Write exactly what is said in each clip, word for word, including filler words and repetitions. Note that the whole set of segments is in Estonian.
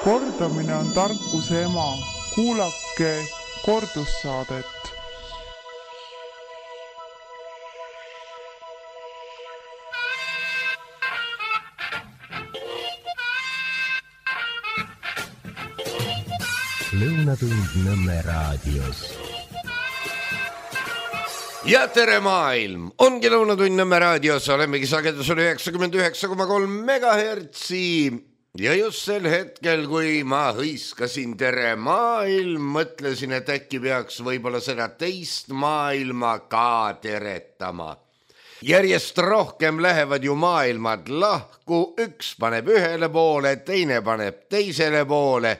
Kordamine on tarkuse ema. Kuulake kordussaadet. Lõunatund Nõmme raadios. Ja tere maailm! Ongi Lõunatund Nõmme raadios, olemegi sagedusel üheksakümmend üheksa koma kolm megahertsi. Ja just sel hetkel, kui ma hõiskasin tere maailm, mõtlesin, et äkki peaks võib-olla seda teist maailma ka teretama. Järjest rohkem lähevad ju maailmad lahku, üks paneb ühele poole, teine paneb teisele poole.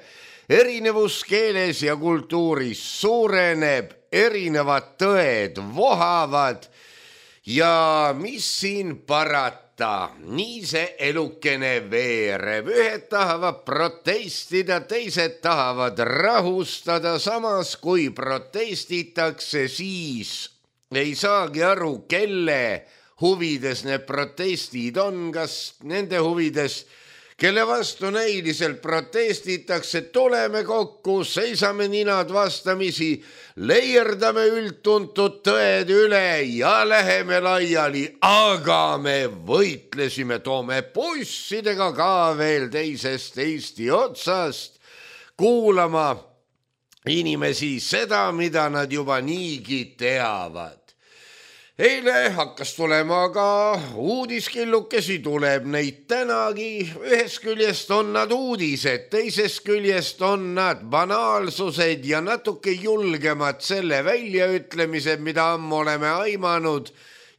Erinevus keeles ja kultuuris suureneb, erinevad tõed vohavad ja mis siin parata, nii see elukene veereb. Ühed tahavad protestida, teised tahavad rahustada, samas kui protestitakse, siis ei saagi aru, kelle huvides need protestid on, kas nende huvides, kelle vastu näiliselt protestitakse, tuleme kokku, seisame ninad vastamisi, leierdame üldtuntud tõed üle ja läheme laiali, aga me võitlesime, toome bussidega ka veel teisest Eesti otsast kuulama inimesi seda, mida nad juba niigi teavad. Eile hakkas tulema ka uudiskillukesi, tuleb neid tänagi. Ühest küljest on nad uudised, teisest küljest on nad banaalsused ja natuke julgemad selle väljaütlemised, mida ammu oleme aimanud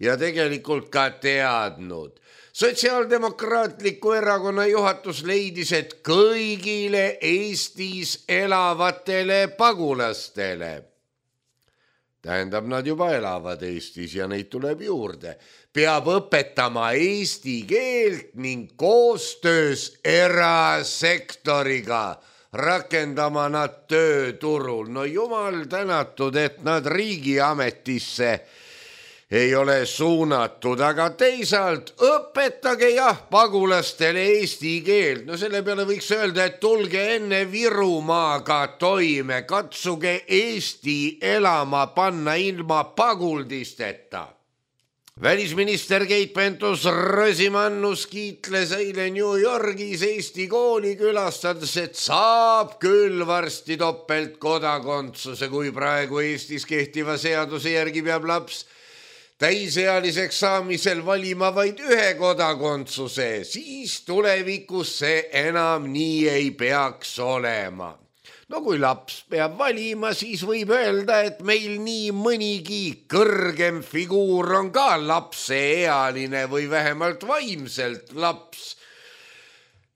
ja tegelikult ka teadnud. Sotsiaaldemokraatliku erakonna juhatus leidis, et kõigile Eestis elavatele pagulastele, tähendab, nad juba elavad Eestis ja neid tuleb juurde, peab õpetama eesti keelt ning koostöös erasektoriga rakendama nad tööturul. No jumal tänatud, et nad riigiametisse ei ole suunatud, aga teisalt õpetage jah pagulastele eesti keelt. No selle peale võiks öelda, et tulge enne Virumaaga toime, katsuge Eesti elama panna ilma paguldisteta. Välisminister Keit Pentus-Rosimannus kiitles eile New Yorgis Eesti kooli külastades, et saab küll varsti topeltkodakondsuse, kui praegu Eestis kehtiva seaduse järgi peab laps täisealiseks saamisel valima vaid ühe kodakondsuse, siis tulevikus see enam nii ei peaks olema. No kui laps peab valima, siis võib öelda, et meil nii mõnigi kõrgem figuur on ka lapseealine või vähemalt vaimselt laps.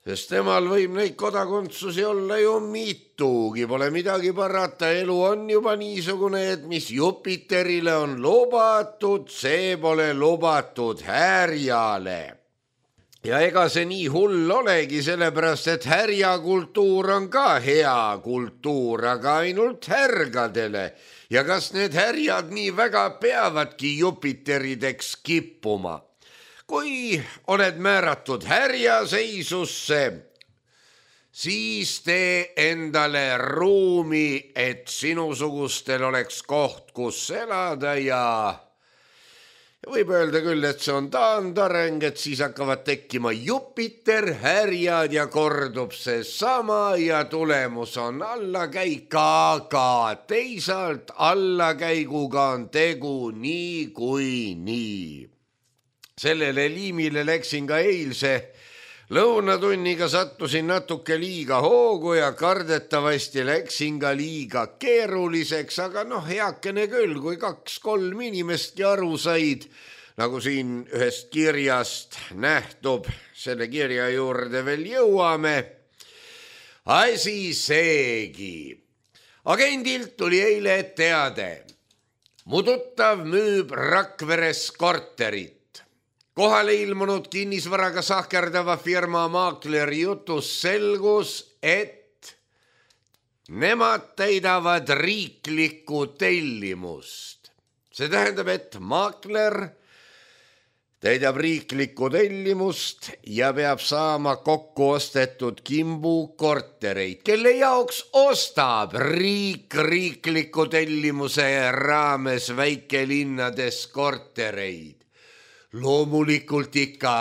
Sest temal võib neid kodakondsusi olla ju mitugi, pole midagi parata, elu on juba niisugune, et mis Jupiterile on lubatud, see pole lubatud härjale. Ja ega see nii hull olegi, sellepärast, et härjakultuur on ka hea kultuur, aga ainult härgadele. Ja kas need härjad nii väga peavadki Jupiterideks kippuma? Kui oled määratud härjaseisusse, siis tee endale ruumi, et sinusugustel oleks koht, kus elada ja võib öelda küll, et see on taandareng, et siis hakkavad tekkima Jupiter, härjad ja kordub see sama ja tulemus on allakäik, aga teisalt allakäiguga on tegu nii kui nii. Sellele liimile läksin ka eilse lõunatunniga, sattusin natuke liiga hoogu ja kardetavasti läksin ka liiga keeruliseks, aga noh, heakene küll, kui kaks-kolm inimestki aru said, nagu siin ühest kirjast nähtub, selle kirja juurde veel jõuame. Asi seegi. Agendilt tuli eile teade. Mu tuttav müüb Rakveres korterit. Kohale ilmunud kinnisvaraga sahkerdava firma maakleri jutus selgus, et nemad täidavad riiklikku tellimust. See tähendab, et maakler täidab riiklikku tellimust ja peab saama kokku ostetud kimbu kortereid, kelle jaoks ostab riik riikliku tellimuse raames väikelinnades kortereid. Loomulikult ikka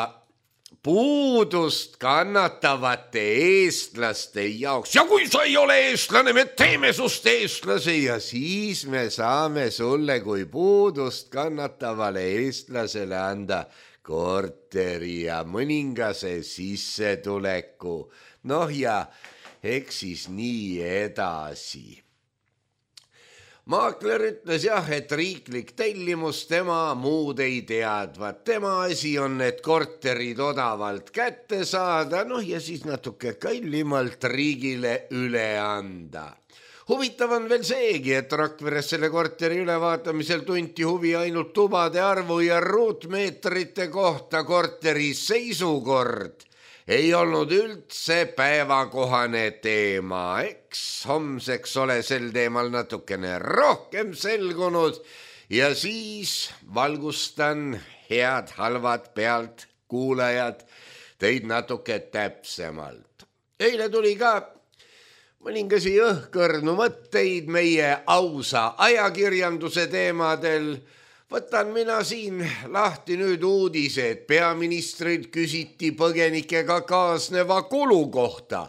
puudust kannatavate eestlaste jaoks. Ja kui sa ei ole eestlane, me teeme sust eestlase ja siis me saame sulle kui puudust kannatavale eestlasele anda korteri ja mõningase sissetuleku. Noh ja eks siis nii edasi. Maakler ütles jah, et riiklik tellimus tema muud ei teadvat. Tema asi on need korterid odavalt kätte saada, noh ja siis natuke kallimalt riigile üle anda. Huvitav on veel seegi, et Rakveres selle korteri ülevaatamisel tunti huvi ainult tubade arvu ja ruutmeetrite kohta. Korteri seisukord ei olnud üldse päevakohane teema, eks homseks ole sel teemal natukene rohkem selgunud ja siis valgustan head halvad pealt kuulajad teid natuke täpsemalt. Eile tuli ka mõningasi õhkõrnu mõtteid meie ausa ajakirjanduse teemadel. Võtan mina siin lahti nüüd uudise, et peaministrid küsiti põgenikega kaasneva kulu kohta.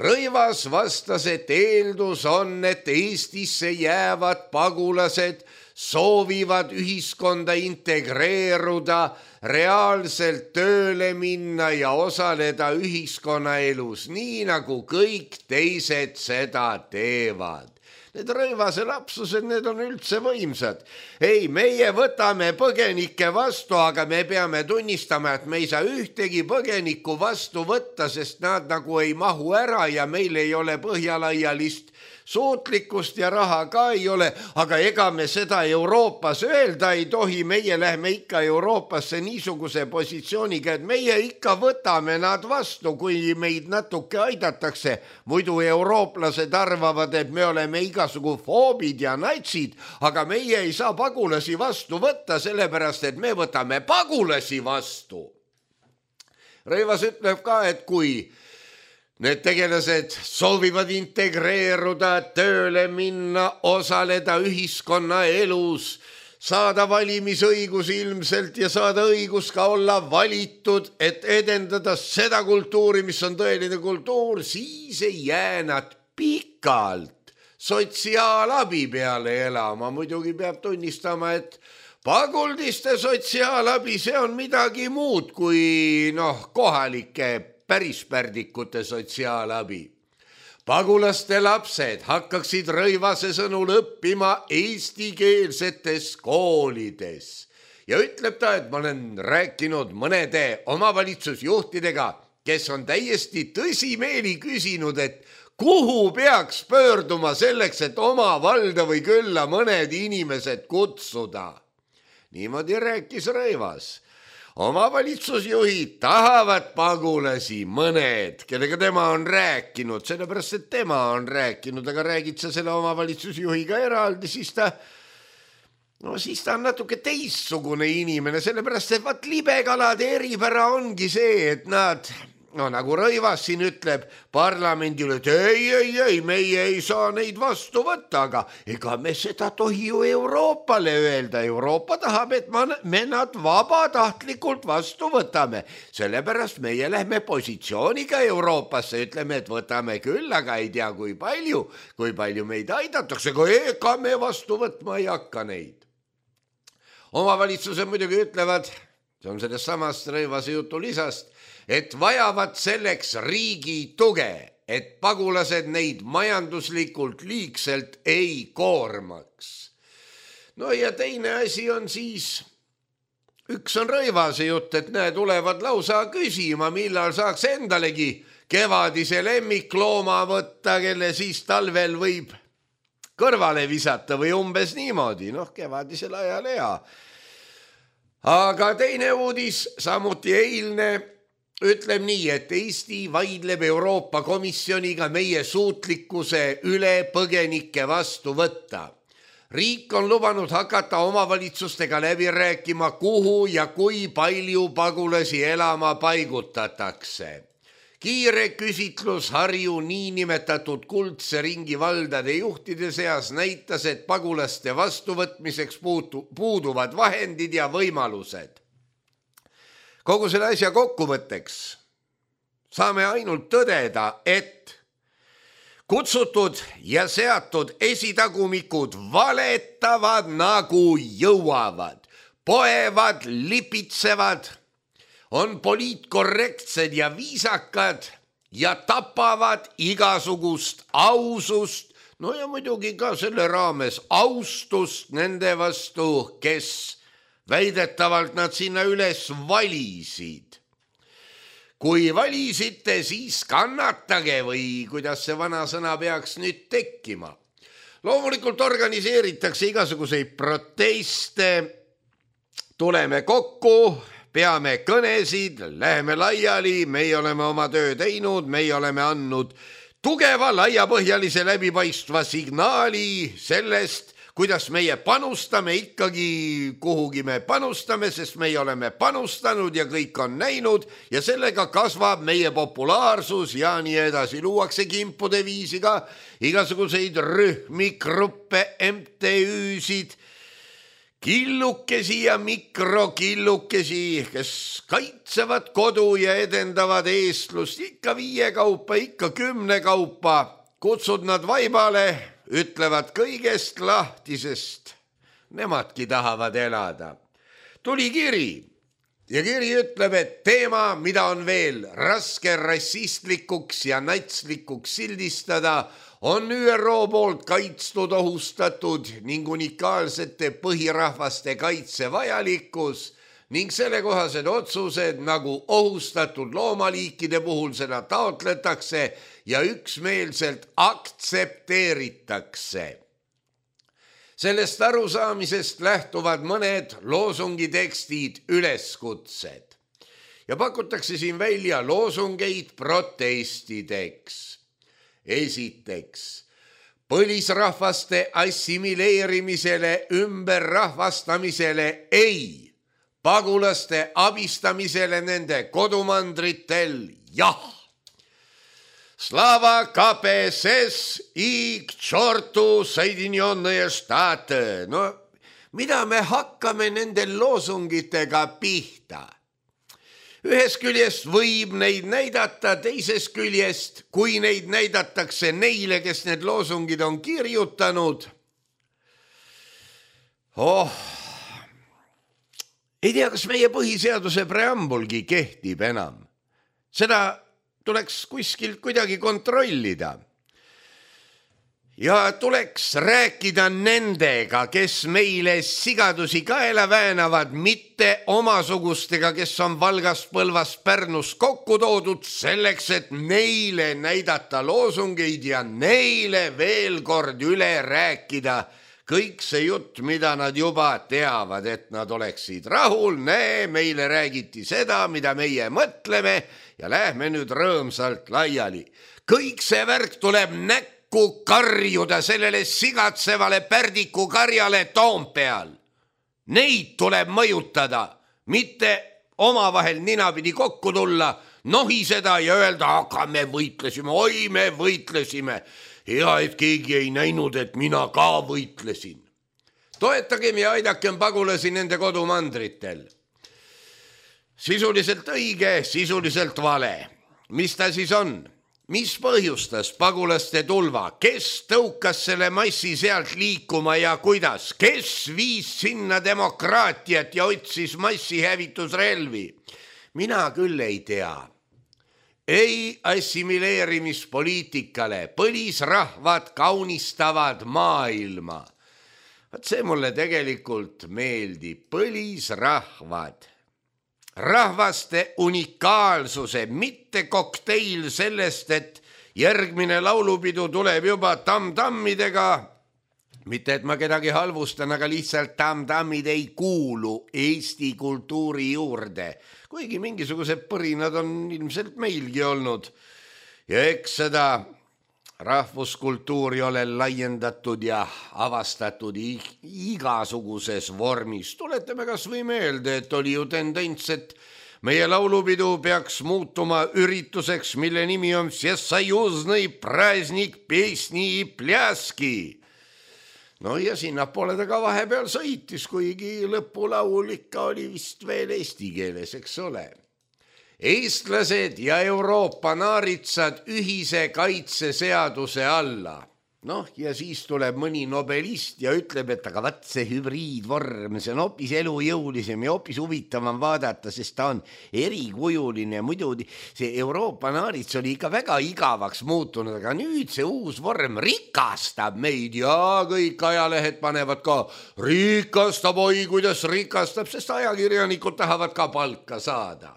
Rõivas vastas, et eeldus on, et Eestisse jäävad pagulased soovivad ühiskonda integreeruda, reaalselt tööle minna ja osaleda ühiskonnaelus, nii nagu kõik teised seda teevad. Need Rõivase lapsused, need on üldse võimsad. Ei, meie võtame põgenikke vastu, aga me peame tunnistama, et me ei saa ühtegi põgenikku vastu võtta, sest nad nagu ei mahu ära ja meil ei ole põhjalaialist suutlikkust ja raha ka ei ole, aga ega me seda Euroopas öelda ei tohi, meie lähme ikka Euroopasse niisuguse positsiooniga, et meie ikka võtame nad vastu, kui meid natuke aidatakse. Muidu eurooplased arvavad, et me oleme igasugu foobid ja natsid, aga meie ei saa pagulasi vastu võtta, sellepärast, et me võtame pagulasi vastu. Rõivas ütleb ka, et kui need tegelased soovivad integreeruda, tööle minna, osaleda ühiskonna elus, saada valimisõigus ilmselt ja saada õigus ka olla valitud, et edendada seda kultuuri, mis on tõeline kultuur, siis ei jää nad pikalt sotsiaalabi peale elama. Muidugi peab tunnistama, et paguldiste sotsiaalabi, see on midagi muud kui noh, kohalike pärispärdikute sotsiaalabi. Pagulaste lapsed hakkaksid Rõivase sõnul õppima eestikeelsetes koolides. Ja ütleb ta, et ma olen rääkinud mõnede omavalitsusjuhtidega, kes on täiesti tõsimeeli küsinud, et kuhu peaks pöörduma selleks, et oma valda või külla mõned inimesed kutsuda. Niimoodi rääkis Rõivas. Omavalitsusjuhid tahavad pagulasi, mõned, kellega tema on rääkinud, sellepärast, et tema on rääkinud, aga räägid sa selle omavalitsusjuhiga eraldi, siis ta, no siis ta on natuke teissugune inimene, sellepärast, et vaat libekalade eripära ongi see, et nad, no nagu Rõivas siin ütleb parlamendile, et ei, ei, ei, meie ei saa neid vastu võtta, aga ega me seda tohi ju Euroopale öelda. Euroopa tahab, et me nad vabatahtlikult vastu võtame. Sellepärast meie lähme positsiooniga Euroopasse, ütleme, et võtame küll, aga ei tea, kui palju, kui palju meid aidatakse, aga ega me vastu võtma ei hakka neid. Omavalitsused muidugi ütlevad, see on sellest samast Rõivase jutu lisast, et vajavad selleks riigi tuge, et pagulased neid majanduslikult liigselt ei koormaks. No ja teine asi on siis, üks on Rõivase jutt, et näe, tulevad lausa küsima, millal saaks endalegi kevadise lemmiklooma võtta, kelle siis talvel võib kõrvale visata või umbes niimoodi, noh kevadisel ajal hea. Aga teine uudis, samuti eilne, ütleb nii, et Eesti vaidleb Euroopa Komisjoniga meie suutlikkuse üle põgenike vastu võtta. riik on lubanud hakata omavalitsustega läbi rääkima, kuhu ja kui palju pagulasi elama paigutatakse. Kiire küsitlus Harju niinimetatud kuldse ringi valdade juhtide seas näitas, et pagulaste vastuvõtmiseks puuduvad vahendid ja võimalused. Kogu selle asja kokkuvõtteks saame ainult tõdeda, et kutsutud ja seatud esitagumikud valetavad nagu jõuavad, poevad, lipitsevad, on poliitkorrektsed ja viisakad ja tapavad igasugust ausust, no ja muidugi ka selle raames austust nende vastu, kes väidetavalt nad sinna üles valisid. Kui valisite, siis kannatage või kuidas see vana sõna peaks nüüd tekkima. Loomulikult organiseeritakse igasuguseid proteste, tuleme kokku, peame kõnesid, läheme laiali, meie oleme oma töö teinud, meie oleme andnud tugeva, laiapõhjalise läbipaistva signaali sellest, kuidas meie panustame ikkagi kuhugi me panustame, sest meie oleme panustanud ja kõik on näinud ja sellega kasvab meie populaarsus ja nii edasi. Luuakse kimpude viisi ka igasuguseid rühmi, gruppe, M T Üsid, killukesi ja mikrokillukesi, kes kaitsevad kodu ja edendavad eestlust ikka viie kaupa, ikka kümne kaupa. Kutsud nad vaibale, ütlevad kõigest lahti, sest nemadki tahavad elada. Tuli kiri ja kiri ütleb, et teema, mida on veel raske rassistlikuks ja natslikuks sildistada, on Ü R O poolt kaitstud, ohustatud ning unikaalsete põhirahvaste kaitse vajalikkus ning sellekohased otsused nagu ohustatud loomaliikide puhul seda taotletakse ja üksmeelselt aktsepteeritakse. Sellest arusaamisest lähtuvad mõned loosungitekstid, üleskutsed ja pakutakse siin välja loosungeid protestideks. Esiteks, põlisrahvaste assimileerimisele, ümberrahvastamisele ei. Pagulaste abistamisele nende kodumandritel, jah. Slava K P S S I k tšortu Soedinjenные Štate. No, mida me hakkame nende loosungitega pihta? Ühest küljest võib neid näidata, teisest küljest, kui neid näidatakse neile, kes need loosungid on kirjutanud. Oh, ei tea, kas meie põhiseaduse preambulgi kehtib enam. Seda tuleks kuskilt kuidagi kontrollida. Ja tuleks rääkida nendega, kes meile sigadusi kaela väänavad, mitte omasugustega, kes on Valgas, Põlvas, Pärnus kokku toodud selleks, et neile näidata loosungeid ja neile veel kord üle rääkida kõik see jutt, mida nad juba teavad, et nad oleksid rahul, näe, meile räägiti seda, mida meie mõtleme ja lähme nüüd rõõmsalt laiali. Kõik see värk tuleb näkku karjuda sellele sigatsevale pärdiku karjale Toompeal. Neid tuleb mõjutada, mitte omavahel ninapidi kokku tulla, nohiseda ja öelda, aga me võitlesime, oi me võitlesime. Hea, et keegi ei näinud, et mina ka võitlesin. Toetagem ja aidakem pagulasi nende kodumandritel. Sisuliselt õige, sisuliselt vale. Mis ta siis on? Mis põhjustas pagulaste tulva? Kes tõukas selle massi sealt liikuma ja kuidas? Kes viis sinna demokraatiat ja otsis massihävitusrelvi? Mina küll ei tea. Ei assimileerimispoliitikale, põlisrahvad kaunistavad maailma. Vaat see mulle tegelikult meeldib, põlisrahvad. Rahvaste unikaalsuse, mitte kokteil sellest, et järgmine laulupidu tuleb juba tam-tammidega. Mitte, et ma kedagi halvustan, aga lihtsalt tam-tammid ei kuulu Eesti kultuuri juurde. Kuigi mingisugused põrinad on ilmselt meilgi olnud. Ja eks seda rahvuskultuuri ole laiendatud ja avastatud igasuguses vormis. Tuletame kas või meelde, et oli ju tendents, et meie laulupidu peaks muutuma ürituseks, mille nimi on Всесоюзный праздник песни и пляски. No ja sinnapoole ta ka vahepeal sõitis, kuigi lõpulaul ikka oli vist veel eesti keeles, eks ole. Eestlased ja Euroopa naaritsad ühise kaitseseaduse alla. Noh, ja siis tuleb mõni nobelist ja ütleb, et aga vaat see hübriidvorm, see on hoopis elujõulisem ja hoopis huvitavam vaadata, sest ta on erikujuline. Muidu see Euroopa naarits oli ikka väga igavaks muutunud, aga nüüd see uus vorm rikastab meid ja kõik ajalehed panevad ka rikastab, oi kuidas rikastab, sest ajakirjanikud tahavad ka palka saada.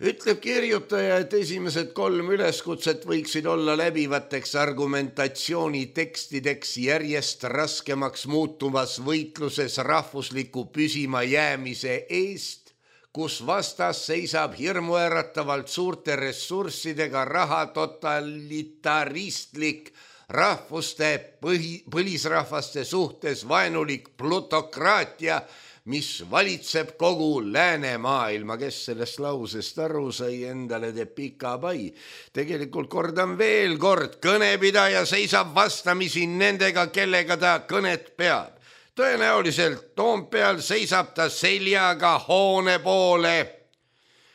Ütleb kirjutaja, et esimesed kolm üleskutset võiksid olla läbivateks argumentatsiooni tekstideks järjest raskemaks muutuvas võitluses rahvusliku püsima jäämise eest, kus vastas seisab hirmuäratavalt suurte ressurssidega raha totalitaristlik rahvuste põhi, põlisrahvaste suhtes vaenulik plutokraatia, mis valitseb kogu läänemaailma. Kes sellest lausest aru sai, endale teeb pika pai. Tegelikult kordan veel kord, kõnepidaja seisab vastamisi nendega, kellega ta kõnet peab. Tõenäoliselt Toompeal seisab ta seljaga hoone poole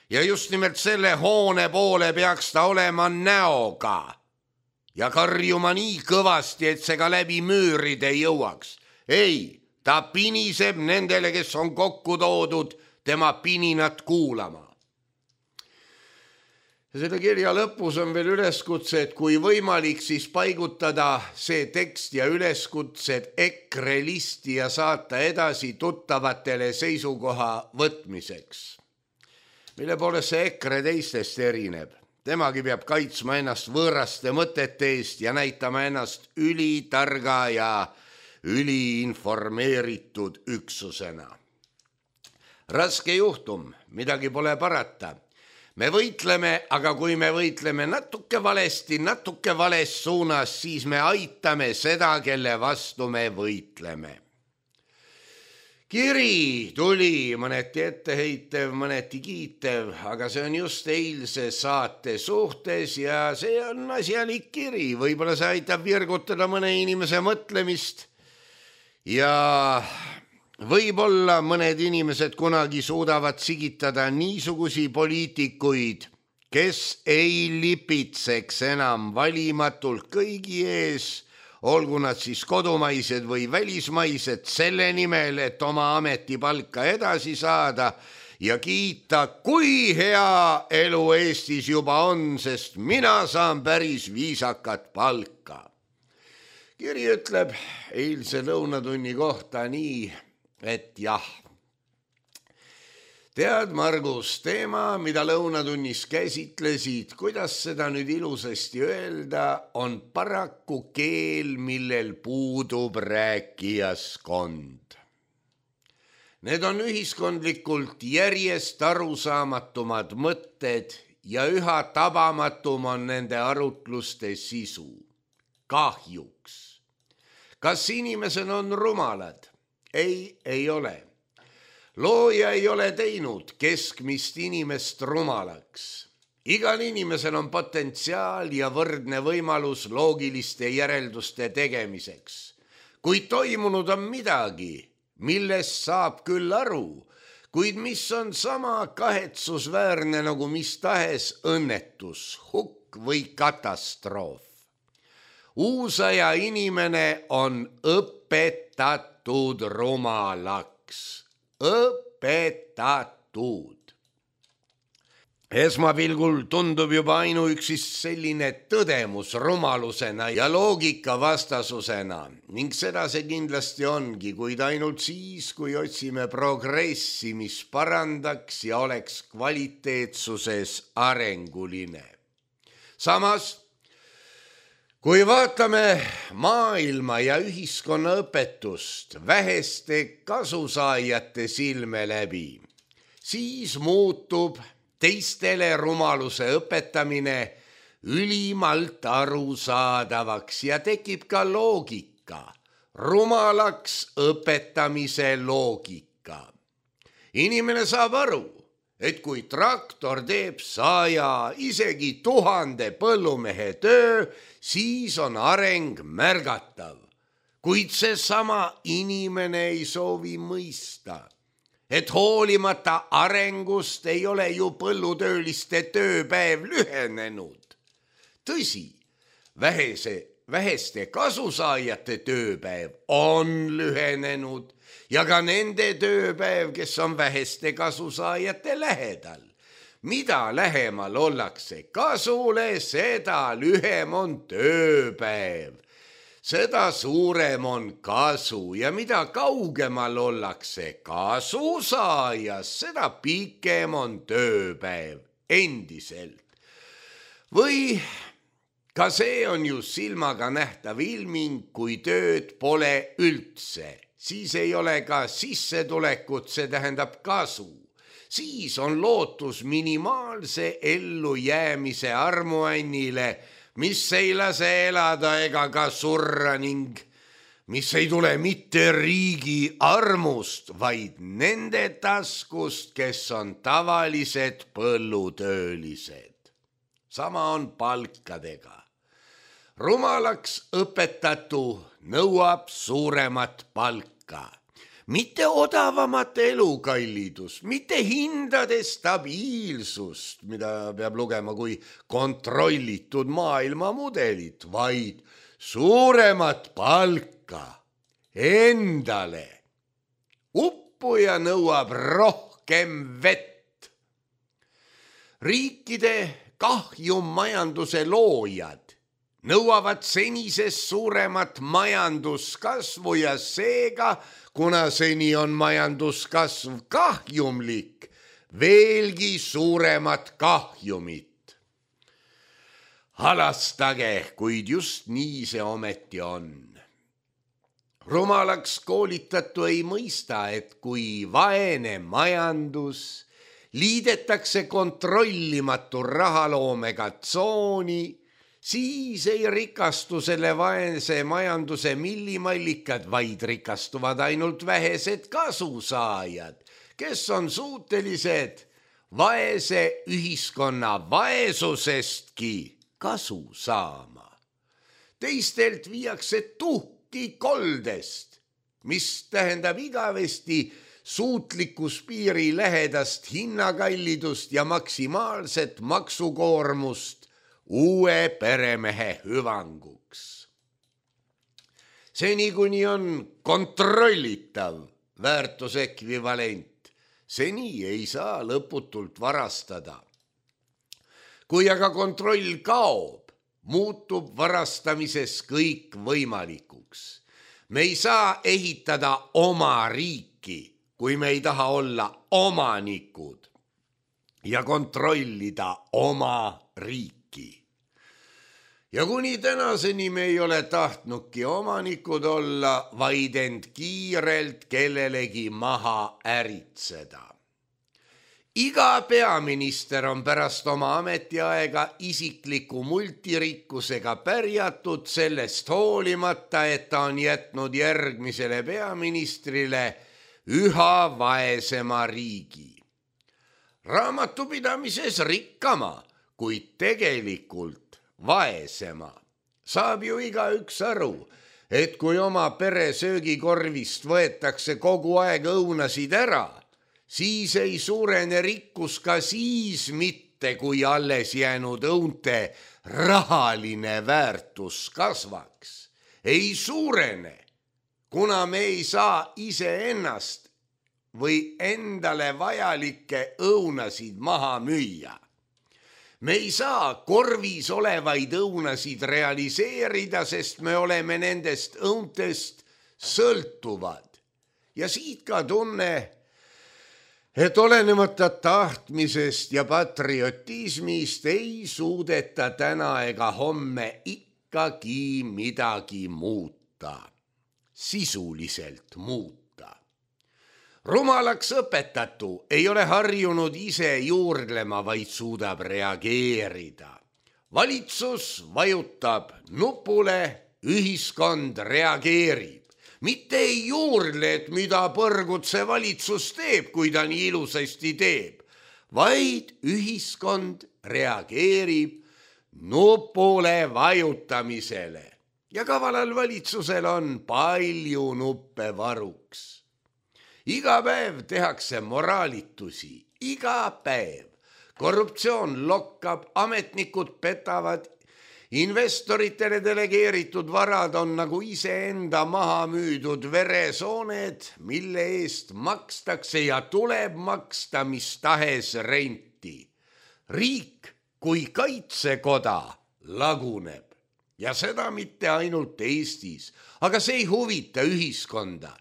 ja just nimelt selle hoone poole peaks ta olema näoga ja karjuma nii kõvasti, et see ka läbi müüride jõuaks. Ei, ta piniseb nendele, kes on kokku toodud tema pininat kuulama. Ja selle kirja lõpus on veel üleskutse, et kui võimalik, siis paigutada see tekst ja üleskutsed EKRE listi ja saata edasi tuttavatele seisukoha võtmiseks. Mille poolest see EKRE teistest erineb? Temagi peab kaitsma ennast võõraste mõtete eest ja näitama ennast ülitarga ja üliinformeeritud üksusena. Raske juhtum, midagi pole parata. Me võitleme, aga kui me võitleme natuke valesti, natuke vales suunas, siis me aitame seda, kelle vastu me võitleme. Kiri tuli mõneti etteheitev, mõneti kiitev, aga see on just eilse saate suhtes ja see on asjalik kiri. Võib-olla see aitab virgutada mõne inimese mõtlemist. Ja võib-olla mõned inimesed kunagi suudavad sigitada niisugusi poliitikuid, kes ei lipitseks enam valimatult kõigi ees, olgu nad siis kodumaised või välismaised, selle nimel, et oma ametipalka edasi saada ja kiita, kui hea elu Eestis juba on, sest mina saan päris viisakat palka. Kiri ütleb eilse lõunatunni kohta nii, et jah. Tead, Margus, teema, mida lõunatunnis käsitlesid, kuidas seda nüüd ilusasti öelda, on paraku keel, millel puudub rääkijaskond. Need on ühiskondlikult järjest arusaamatumad mõtted ja üha tabamatum on nende arutluste sisu. Kahjuks. Kas inimesed on rumalad? Ei, ei ole. Looja ei ole teinud keskmist inimest rumalaks. Igal inimesel on potentsiaal ja võrdne võimalus loogiliste järelduste tegemiseks. Kuid toimunud on midagi, millest saab küll aru, kuid mis on sama kahetsusväärne nagu mis tahes õnnetus, hukk või katastroof. Uusaja inimene on õpetatud rumalaks. Õpetatud. Esmapilgul tundub juba ainuüksi selline tõdemus rumalusena ja loogika vastasusena ning seda see kindlasti ongi, kuid ainult siis, kui otsime progressi, mis parandaks ja oleks kvaliteetsuses arenguline. Samas, kui vaatame maailma ja ühiskonna õpetust väheste kasusaajate silme läbi, siis muutub teistele rumaluse õpetamine ülimalt arusaadavaks ja tekib ka loogika, rumalaks õpetamise loogika. Inimene saab aru, et kui traktor teeb saja, isegi tuhande põllumehe töö, siis on areng märgatav. Kuid see sama inimene ei soovi mõista, et hoolimata arengust ei ole ju põllutööliste tööpäev lühenenud. Tõsi, vähese, väheste kasusaajate tööpäev on lühenenud ja ka nende tööpäev, kes on väheste kasusaajate lähedal. Mida lähemal ollakse kasule, seda lühem on tööpäev. Seda suurem on kasu ja mida kaugemal ollakse kasusaajas, seda pikem on tööpäev endiselt. Või ka see on ju silmaga nähtav ilming, kui tööd pole üldse. Siis ei ole ka sissetulekut, see tähendab kasu. Siis on lootus minimaalse ellujäämise armuannile, mis ei lase elada ega ka surra ning mis ei tule mitte riigi armust, vaid nende taskust, kes on tavalised põllutöölised. Sama on palkadega. Rumalaks õpetatu nõuab suuremat palka, mitte odavamat elukallidust, mitte hindade stabiilsust, mida peab lugema kui kontrollitud maailmamudelit, vaid suuremat palka endale. Uppuja nõuab rohkem vett. Riikide kahjummajanduse loojad nõuavad senisest suuremat majanduskasvu ja seega, kuna seni on majanduskasv kahjumlik, veelgi suuremat kahjumit. Halastage, kuid just nii see ometi on. Rumalaks koolitatu ei mõista, et kui vaene majandus liidetakse kontrollimatu rahaloomega tsooni, siis ei rikastu selle vaese majanduse millimallikad, vaid rikastuvad ainult vähesed kasusaajad, kes on suutelised vaese ühiskonna vaesusestki kasu saama. Teistelt viiakse tuhki koldest, mis tähendab igavesti suutlikkuspiiri lähedast hinnakallidust ja maksimaalset maksukoormust uue peremehe hüvanguks. Seni kuni on kontrollitav väärtusekvivalent, seni ei saa lõputult varastada. Kui aga kontroll kaob, muutub varastamises kõik võimalikuks. Me ei saa ehitada oma riiki, kui me ei taha olla omanikud ja kontrollida oma riiki. Ja kuni tänaseni me ei ole tahtnudki omanikud olla, vaid end kiirelt kellelegi maha äritseda. Iga peaminister on pärast oma ametiaega isikliku multirikkusega pärjatud sellest hoolimata, et ta on jätnud järgmisele peaministrile üha vaesema riigi. Raamatupidamises rikkama, kuid tegelikult vaesema. Saab ju igaüks aru, et kui oma pere söögikorvist võetakse kogu aeg õunasid ära, siis ei suurene rikkus ka siis mitte, kui alles jäänud õunte rahaline väärtus kasvaks. Ei suurene, kuna me ei saa iseennast või endale vajalikke õunasid maha müüa. Me ei saa korvis olevaid õunasid realiseerida, sest me oleme nendest õuntest sõltuvad. Ja siit ka tunne, et olenemata tahtmisest ja patriotismist ei suudeta täna ega homme ikkagi midagi muuta, sisuliselt muuta. Rumalaks õpetatu ei ole harjunud ise juurdlema, vaid suudab reageerida. Valitsus vajutab nupule, ühiskond reageerib. Mitte ei juurle, et mida põrgut see valitsus teeb, kui ta nii ilusasti teeb, vaid ühiskond reageerib nupule vajutamisele. Ja kavalal valitsusel on palju nuppe varuks. Iga päev tehakse moraalitusi, iga päev. Korruptsioon lokkab, ametnikud petavad, investoritele delegeeritud varad on nagu iseenda maha müüdud veresooned, mille eest makstakse ja tuleb maksta mis tahes renti. Riik kui kaitsekoda laguneb ja seda mitte ainult Eestis, aga see ei huvita ühiskonda.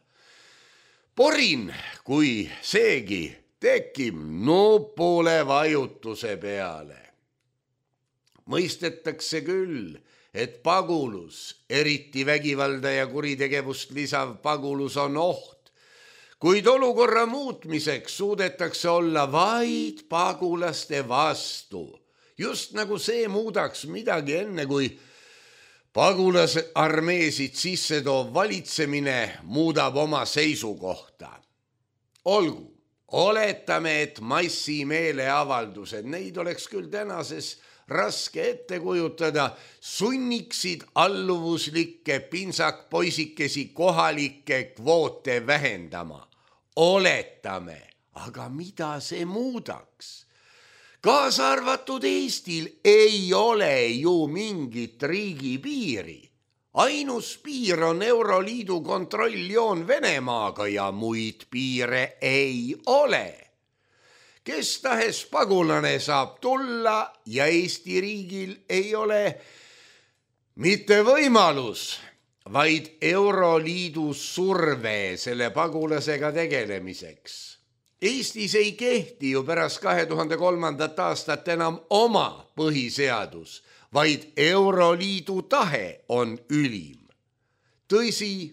Porin, kui seegi tekib nupule vajutuse peale. Mõistetakse küll, et pagulus, eriti vägivalda ja kuritegevust lisav pagulus on oht, kuid olukorra muutmiseks suudetakse olla vaid pagulaste vastu. Just nagu see muudaks midagi enne, kui pagulasarmeesid sisse toov valitsemine muudab oma seisukohta. Olgu. Oletame, et massimeeleavaldused, neid oleks küll tänases raske ette kujutada, sunniksid alluvuslikke pinsakpoisikesi kohalikke kvoote vähendama. Oletame, aga mida see muudaks? Kaasa arvatud Eestil ei ole ju mingit riigipiiri. Ainus piir on Euroliidu kontrolljoon Venemaaga ja muid piire ei ole. Kes tahes pagulane saab tulla ja Eesti riigil ei ole mitte võimalus, vaid Euroliidu surve selle pagulasega tegelemiseks. Eestis ei kehti ju pärast kahe tuhande kolmandat aastat enam oma põhiseadus, vaid Euroliidu tahe on ülim. Tõsi,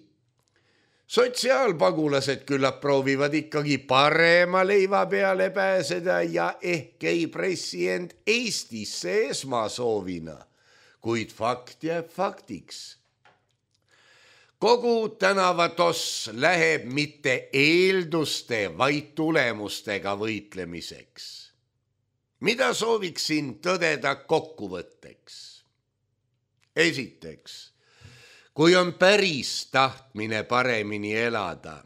sotsiaalpagulased küllap proovivad ikkagi parema leiva peale pääseda ja ehk ei pressi end Eestisse esmasoovina, kuid fakt jääb faktiks. Kogu tänavatoss läheb mitte eelduste, vaid tulemustega võitlemiseks. Mida sooviksin tõdeda kokkuvõtteks? Esiteks, kui on päris tahtmine paremini elada,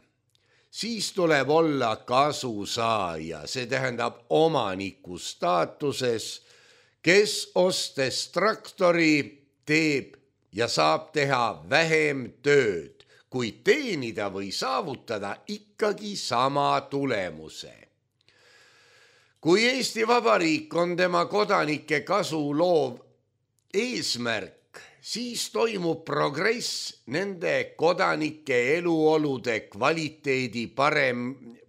siis tuleb olla kasusaaja, see tähendab omaniku staatuses, kes ostes traktori teeb ja saab teha vähem tööd, kuid teenida või saavutada ikkagi sama tulemuse. Kui Eesti Vabariik on tema kodanike kasu loov eesmärk, siis toimub progress nende kodanike eluolude kvaliteedi parem,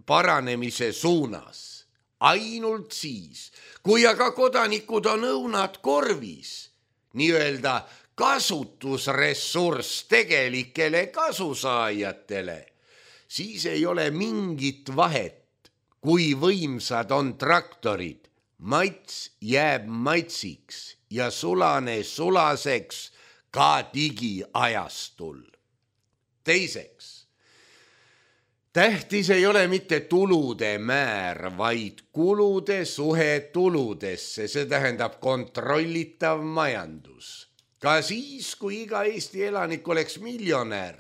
paranemise suunas. Ainult siis, kui aga kodanikud on õunad korvis, nii-öelda kasutusressurss tegelikele kasusaajatele, siis ei ole mingit vahet, kui võimsad on traktorid, mats jääb matsiks ja sulane sulaseks ka digiajastul. Teiseks, tähtis ei ole mitte tulude määr, vaid kulude suhe tuludesse, see tähendab kontrollitav majandus. Ka siis, kui iga Eesti elanik oleks miljonär,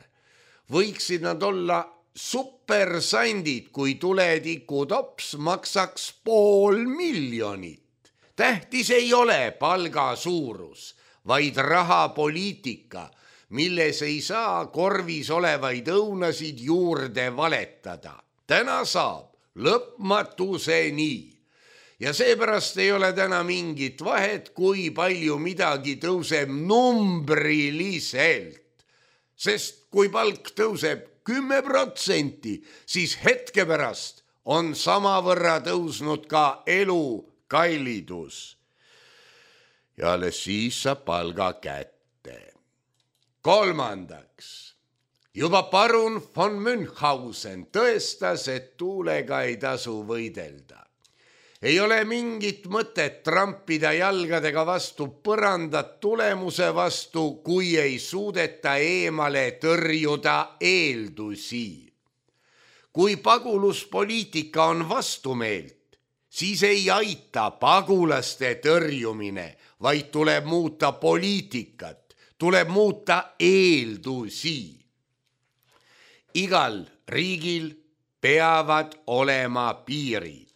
võiksid nad olla supersandid, kui tuletikutops maksaks pool miljonit. Tähtis ei ole palga suurus, vaid rahapoliitika, milles ei saa korvis olevaid õunasid juurde valetada. Täna saab lõpmatuseni. Ja seepärast ei ole täna mingit vahet, kui palju midagi tõuseb numbriliselt. Sest kui palk tõuseb kümme protsenti, siis hetke pärast on samavõrra tõusnud ka elu kallidus. Ja alles siis saab palga kätte. Kolmandaks, juba parun von Münchhausen tõestas, et tuulega ei tasu võidelda. Ei ole mingit mõtet trampida jalgadega vastu põrandat tulemuse vastu, kui ei suudeta eemale tõrjuda eeldusi. Kui paguluspoliitika on vastumeelt, siis ei aita pagulaste tõrjumine, vaid tuleb muuta poliitikat, tuleb muuta eeldusi. Igal riigil peavad olema piirid.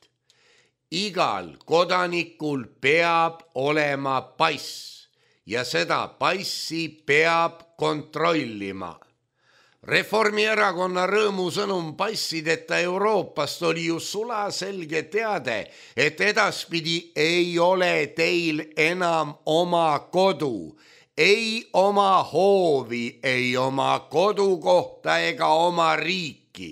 Igal kodanikul peab olema pass ja seda passi peab kontrollima. Reformierakonna rõõmusõnum passideta Euroopast oli ju sulaselge teade, et edaspidi ei ole teil enam oma kodu, ei oma hoovi, ei oma kodukohta ega oma riiki.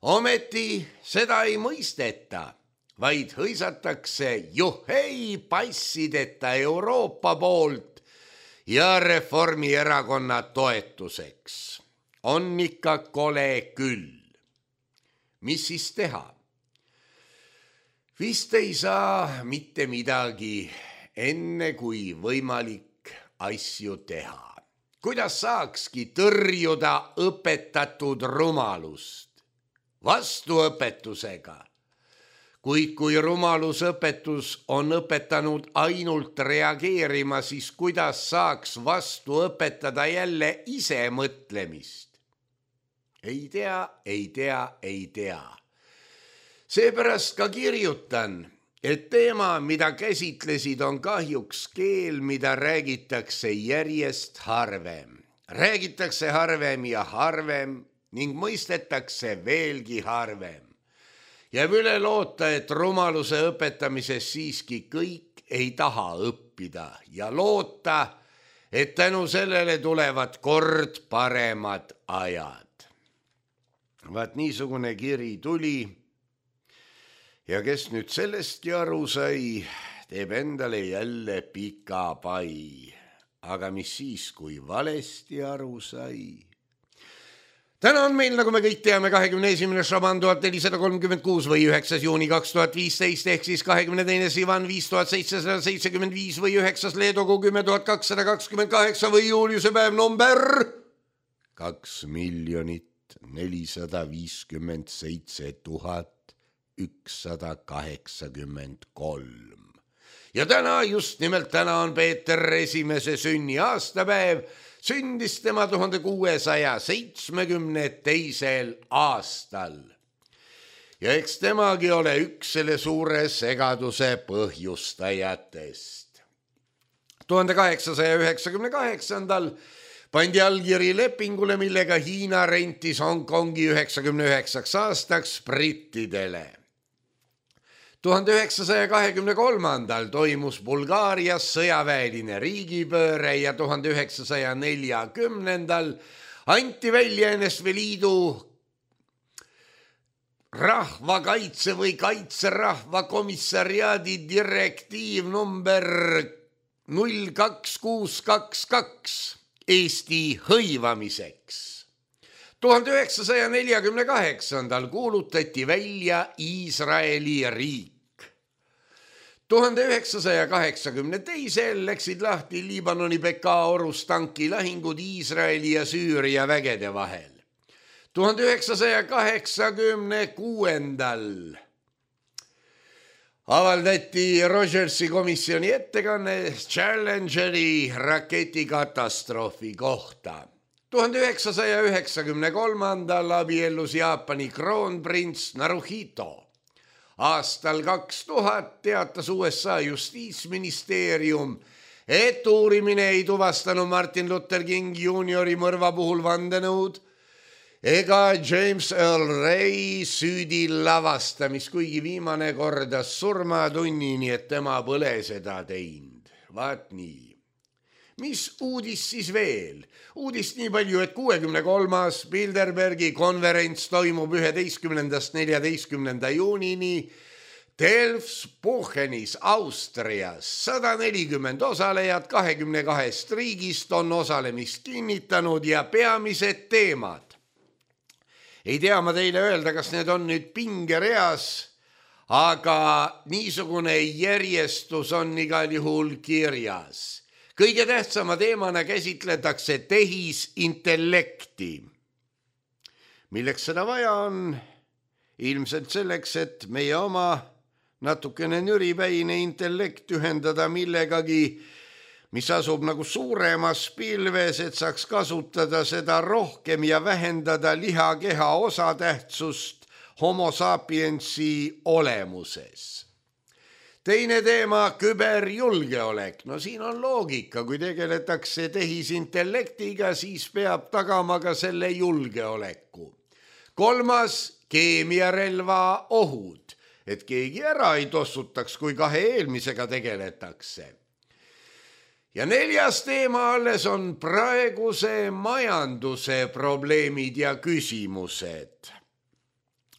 Ometi seda ei mõisteta, vaid hõisatakse juhei passideta Euroopa poolt ja Reformierakonna toetuseks. On ikka kole küll. Mis siis teha? Vist ei saa mitte midagi, enne kui võimalik asju teha. Kuidas saakski tõrjuda õpetatud rumalust? Vastuõpetusega. Kuid kui rumalusõpetus on õpetanud ainult reageerima, siis kuidas saaks vastu õpetada jälle ise mõtlemist? Ei tea, ei tea, ei tea. Seepärast ka kirjutan, et teema, mida käsitlesid, on kahjuks keel, mida räägitakse järjest harvem. Räägitakse harvem ja harvem ning mõistetakse veelgi harvem. Jääb üle loota, et rumaluse õpetamises siiski kõik ei taha õppida ja loota, et tänu sellele tulevad kord paremad ajad. Vaat niisugune kiri tuli ja kes nüüd sellestki aru sai, teeb endale jälle pika pai. Aga mis siis, kui valesti aru sai? Täna on meil, nagu me kõik teame, kahekümne esimene Šaban tuhat nelisada kolmkümmend kuus või üheksas juuni kaks tuhat viisteist ehk siis kahekümne teine Sivan viis tuhat seitsesada seitsekümmend viis või üheksas Leedogu kümme tuhat kakssada kakskümmend kaheksa või Juliuse päev number kaks miljonit nelisada viiskümmend seitse tuhat ükssada kaheksakümmend kolm. Ja täna, just nimelt täna on Peeter esimese sünni aastapäev. Sündis tema tuhande kuuesaja seitsmekümne teisel aastal. Ja eks temagi ole üks selle suure segaduse põhjustajatest. tuhande kaheksasaja üheksakümne kaheksandal pandi allkiri lepingule, millega Hiina rentis Hongkongi üheksakümne üheksaks aastaks brittidele. tuhande üheksasaja kahekümne kolmandal toimus Bulgaarias sõjaväeline riigipööre ja tuhande üheksasaja neljakümnendal anti välja N S V Liidu rahvakaitse või kaitserahva komissariaadi direktiiv number null kaks kuus kaks kaks Eesti hõivamiseks. tuhande üheksasaja neljakümne kaheksandal kuulutati välja Iisraeli riik. tuhande üheksasaja kaheksakümne teisel läksid lahti Liibanoni Bekaa orus tankilahingud Iisraeli ja Süüria vägede vahel. tuhande üheksasaja kaheksakümne kuuendal avaldati Rogersi komisjoni ettekanne Challengeri raketikatastroofi kohta. tuhande üheksasaja üheksakümne kolmandal abiellus Jaapani kroonprints Naruhito. Aastal kaks tuhat teatas U S A justiitsministeerium, et uurimine ei tuvastanud Martin Luther King juuniori mõrva puhul vandenõud ega James Earl Ray süüdi lavastamist, kuigi viimane kordas surmatunni, nii et tema pole seda teinud. Vaat nii. Mis uudis siis veel? Uudist nii palju, et kuuekümne kolmas Bilderbergi konverents toimub üheteistkümnendast neljateistkümnenda juunini Delfsbuchenis, Austrias. sada nelikümmend osalejat kahekümne kahest riigist on osalemist kinnitanud ja peamised teemad. Ei tea ma teile öelda, kas need on nüüd pingereas, aga niisugune järjestus on igal juhul kirjas. Kõige tähtsama teemana käsitletakse tehisintellekti. Milleks seda vaja on? Ilmselt selleks, et meie oma natukene nüripäine intellekt ühendada millegagi, mis asub nagu suuremas pilves, et saaks kasutada seda rohkem ja vähendada lihakeha osatähtsust homo sapiensi olemuses. Teine teema, küberjulgeolek. No siin on loogika, kui tegeletakse tehisintellektiga, siis peab tagama ka selle julgeoleku. Kolmas, keemiarelva ohud, et keegi ära ei tossutaks, kui kahe eelmisega tegeletakse. Ja neljas teema alles on praeguse majanduse probleemid ja küsimused.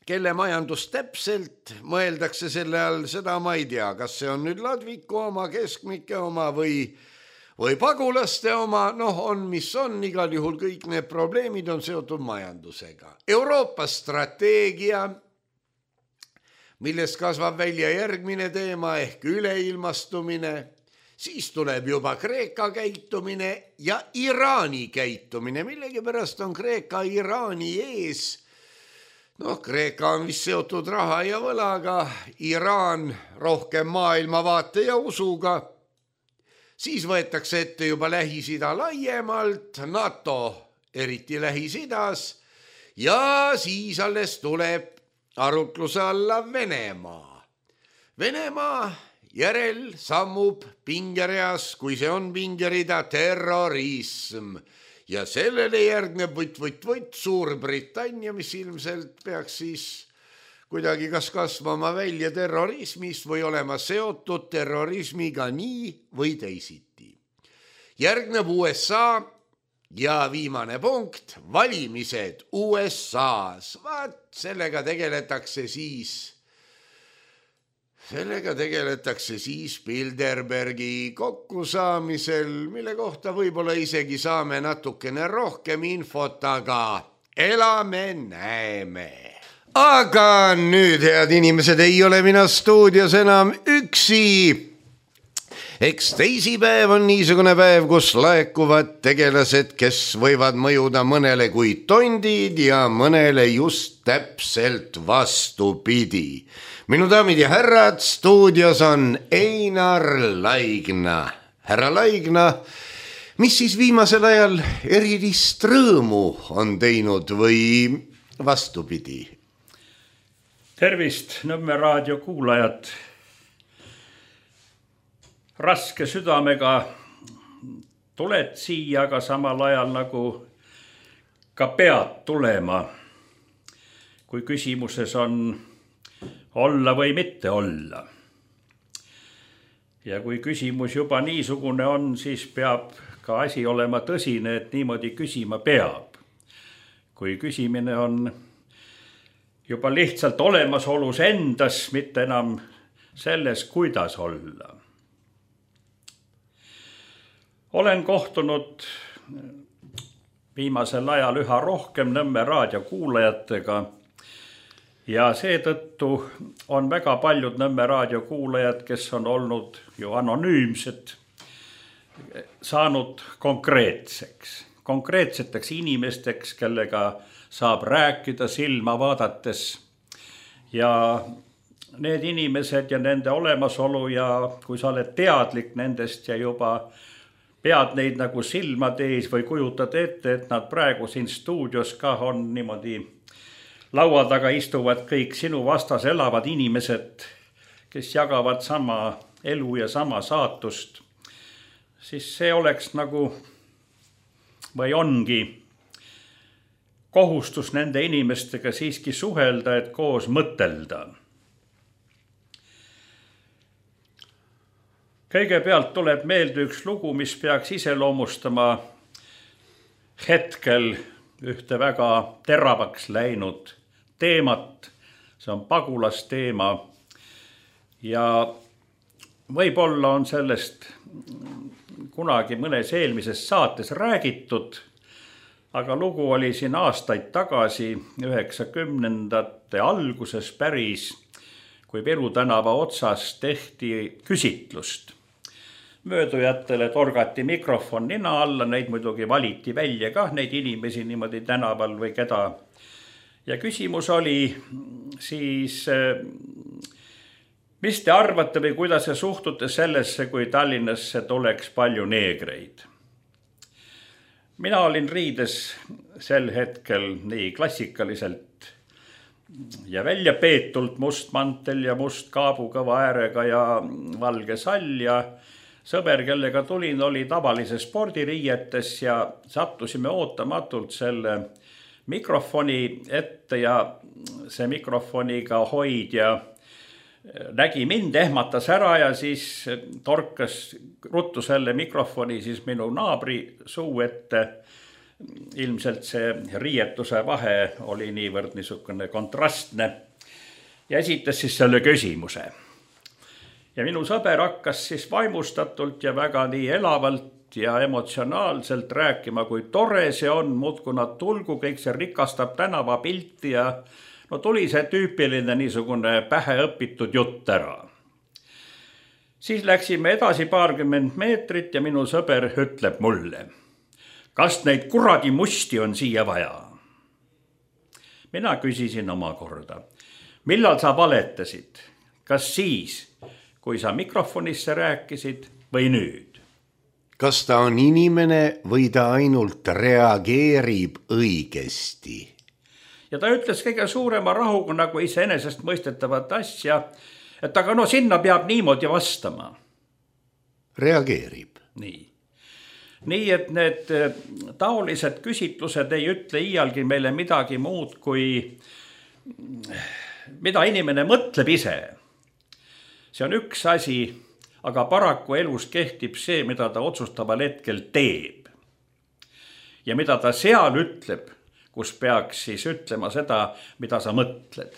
Kelle majandus täpselt mõeldakse selle all, seda ma ei tea, kas see on nüüd ladviku oma, keskmike oma või, või pagulaste oma, noh on, mis on, igal juhul kõik need probleemid on seotud majandusega. Euroopa strateegia, millest kasvab välja järgmine teema ehk üleilmastumine, siis tuleb juba Kreeka käitumine ja Iraani käitumine, millegipärast on Kreeka Iraani ees. Noh, Kreeka on vist seotud raha ja võlaga, Iraan rohkem maailmavaate ja usuga. Siis võetakse ette juba Lähis-Ida laiemalt, NATO eriti Lähis-Idas ja siis alles tuleb arutluse alla Venemaa. Venemaa järel sammub pingereas, kui see on pingerida, terrorism. Ja sellele järgneb võtt, võtt, võtt Suurbritannia, mis ilmselt peaks siis kuidagi kas kasvama välja terrorismist või olema seotud terrorismiga nii või teisiti. Järgneb U S A ja viimane punkt, valimised U S A-s. Vaat sellega tegeletakse siis... Sellega tegeletakse siis Bilderbergi kokkusaamisel, mille kohta võib-olla isegi saame natukene rohkem infot, aga elame, näeme. Aga nüüd, head inimesed, ei ole mina stuudios enam üksi. Eks teisipäev on niisugune päev, kus laekuvad tegelased, kes võivad mõjuda mõnele kui tondid ja mõnele just täpselt vastupidi. Minu daamid ja härrad, stuudios on Einar Laigna. Härra Laigna, mis siis viimasel ajal erilist rõõmu on teinud või vastupidi? Tervist, Nõmme raadio kuulajad. Raske südamega tuled siia, aga samal ajal nagu ka pead tulema. Kui küsimuses on olla või mitte olla. Ja kui küsimus juba niisugune on, siis peab ka asi olema tõsine, et niimoodi küsima peab. Kui küsimine on juba lihtsalt olemasolus endas, mitte enam selles, kuidas olla. Olen kohtunud viimasel ajal üha rohkem Nõmme raadio kuulajatega, ja seetõttu on väga paljud Nõmme raadio kuulajad, kes on olnud ju anonüümsed, saanud konkreetseks, konkreetseteks inimesteks, kellega saab rääkida silma vaadates. Ja need inimesed ja nende olemasolu ja kui sa oled teadlik nendest ja juba pead neid nagu silmad ees või kujutad ette, et nad praegu siin stuudios ka on niimoodi laua taga istuvad kõik sinu vastas elavad inimesed, kes jagavad sama elu ja sama saatust, siis see oleks nagu või ongi kohustus nende inimestega siiski suhelda, et koos mõtelda. Kõigepealt tuleb meelde üks lugu, mis peaks iseloomustama hetkel ühte väga teravaks läinud teemat, see on pagulasteema ja võib-olla on sellest kunagi mõnes eelmises saates räägitud, aga lugu oli siin aastaid tagasi, üheksakümnendate alguses päris, kui kui Viru tänava otsas tehti küsitlust. Möödujatele torgati mikrofon nina alla, neid muidugi valiti välja kah, neid inimesi niimoodi tänaval või keda. Ja küsimus oli siis, mis te arvate või kuidas te suhtute sellesse, kui Tallinnasse tuleks palju neegreid? Mina olin riides sel hetkel nii klassikaliselt ja välja peetult must mantel ja must kaabukõva äärega ja valge sall ja sõber, kellega tulin, oli tavalise spordiriietes ja sattusime ootamatult selle mikrofoni ette ja see mikrofoniga hoidja nägi mind, ehmatas ära ja siis torkas ruttu selle mikrofoni siis minu naabri suu ette. Ilmselt see riietuse vahe oli niivõrd niisugune kontrastne ja esitas siis selle küsimuse. Ja minu sõber hakkas siis vaimustatult ja väga nii elavalt ja emotsionaalselt rääkima, kui tore see on, muudkui nad tulgu, kõik see rikastab tänava pilti ja no tuli see tüüpiline niisugune pähe õpitud jutt ära. Siis läksime edasi paarkümmend meetrit ja minu sõber ütleb mulle, kas neid kuradi musti on siia vaja? Mina küsisin omakorda, millal sa valetasid? Kas siis, kui sa mikrofonisse rääkisid või nüüd? Kas ta on inimene või ta ainult reageerib õigesti? Ja ta ütles kõige suurema rahuga nagu iseenesest mõistetavat asja, et aga no sinna peab niimoodi vastama. Reageerib. Nii. Nii, et need taolised küsitlused ei ütle iialgi meile midagi muud, kui mida inimene mõtleb ise. See on üks asi, aga paraku elus kehtib see, mida ta otsustaval hetkel teeb. Ja mida ta seal ütleb, kus peaks siis ütlema seda, mida sa mõtled.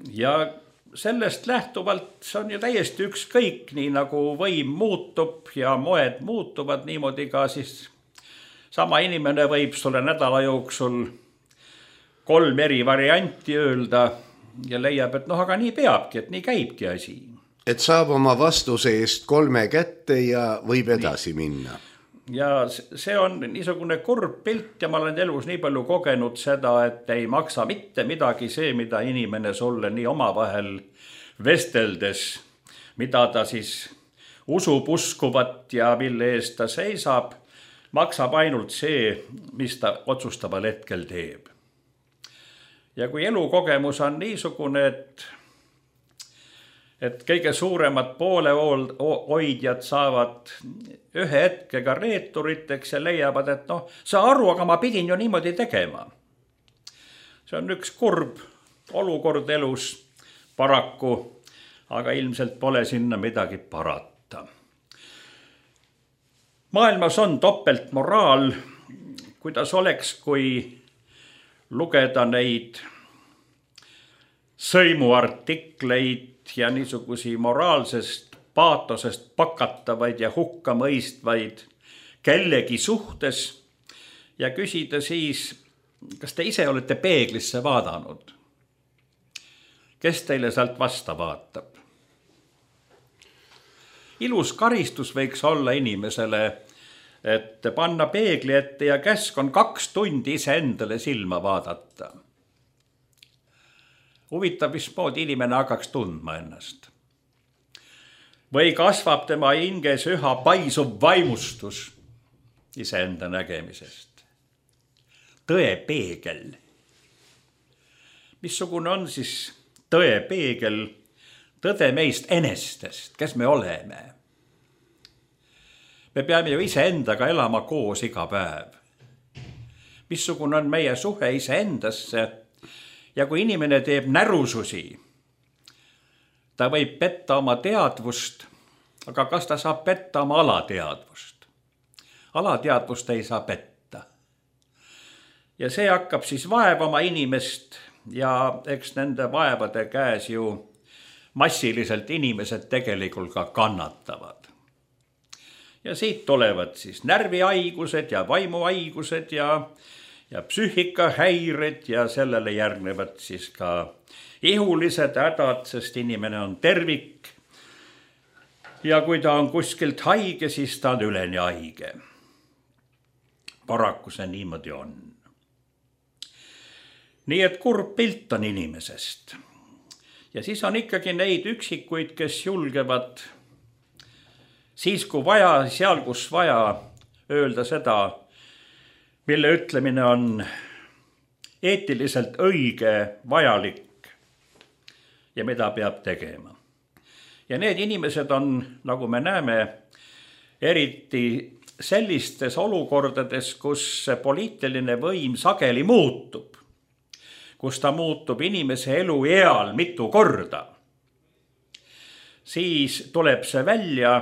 Ja sellest lähtuvalt see on ju täiesti ükskõik, nii nagu võim muutub ja moed muutuvad, niimoodi ka siis sama inimene võib sulle nädala jooksul kolm eri varianti öelda ja leiab, et noh, aga nii peabki, et nii käibki asi. Et saab oma vastuse eest kolme kätte ja võib edasi nii minna. Ja see on niisugune kurb pilt ja ma olen elus nii palju kogenud seda, et ei maksa mitte midagi see, mida inimene sulle nii omavahel vesteldes, mida ta siis usub uskuvat ja mille eest ta seisab, maksab ainult see, mis ta otsustaval hetkel teeb. Ja kui elukogemus on niisugune, et et kõige suuremad poolehoidjad saavad ühe hetkega reeturiteks ja leiavad, et noh, sa aru, aga ma pidin ju niimoodi tegema. See on üks kurb olukord elus paraku, aga ilmselt pole sinna midagi parata. Maailmas on topeltmoraal, kuidas oleks, kui lugeda neid sõimuartikleid ja niisugusi moraalsest paatosest pakatavaid ja hukka mõistvaid kellegi suhtes ja küsida siis, kas te ise olete peeglisse vaadanud? Kes teile sealt vasta vaatab? Ilus karistus võiks olla inimesele, et panna peegli ette ja käsk on kaks tundi ise endale silma vaadata. Huvitav, mismoodi inimene hakkaks tundma ennast. Või kasvab tema hinges üha paisuv vaimustus iseenda nägemisest. Tõe peegel. Missugune on siis tõe peegel, tõde meist enestest, kes me oleme? Me peame ju iseendaga elama koos iga päev. Missugune on meie suhe iseendasse? Ja kui inimene teeb närususi, ta võib petta oma teadvust, aga kas ta saab petta oma alateadvust? Alateadvust ei saa petta. Ja see hakkab siis vaevama inimest ja eks nende vaevade käes ju massiliselt inimesed tegelikult ka kannatavad. Ja siit tulevad siis närvihaigused ja vaimuhaigused ja ja psüühikahäired ja sellele järgnevad siis ka ihulised hädad, sest inimene on tervik. Ja kui ta on kuskilt haige, siis ta on üleni haige. Paraku see niimoodi on. Nii et kurb pilt on inimesest. Ja siis on ikkagi neid üksikuid, kes julgevad siis kui vaja, seal kus vaja öelda seda, mille ütlemine on eetiliselt õige, vajalik ja mida peab tegema. Ja need inimesed on, nagu me näeme, eriti sellistes olukordades, kus poliitiline võim sageli muutub, kus ta muutub inimese elu eal mitu korda, siis tuleb see välja,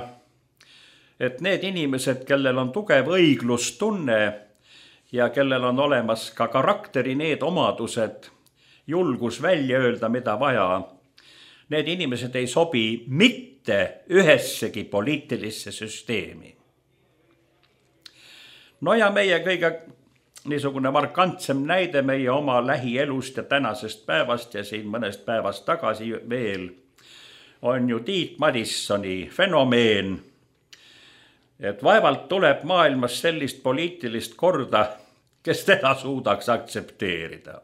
et need inimesed, kellel on tugev õiglustunne ja kellel on olemas ka karakteri need omadused, julgus välja öelda, mida vaja, need inimesed ei sobi mitte ühessegi poliitilisse süsteemi. No ja meie kõige niisugune markantsem näide meie oma lähielust ja tänasest päevast ja siin mõnest päevast tagasi veel on ju Tiit Madissoni fenomeen, et vaevalt tuleb maailmas sellist poliitilist korda, kes teda suudaks aktsepteerida.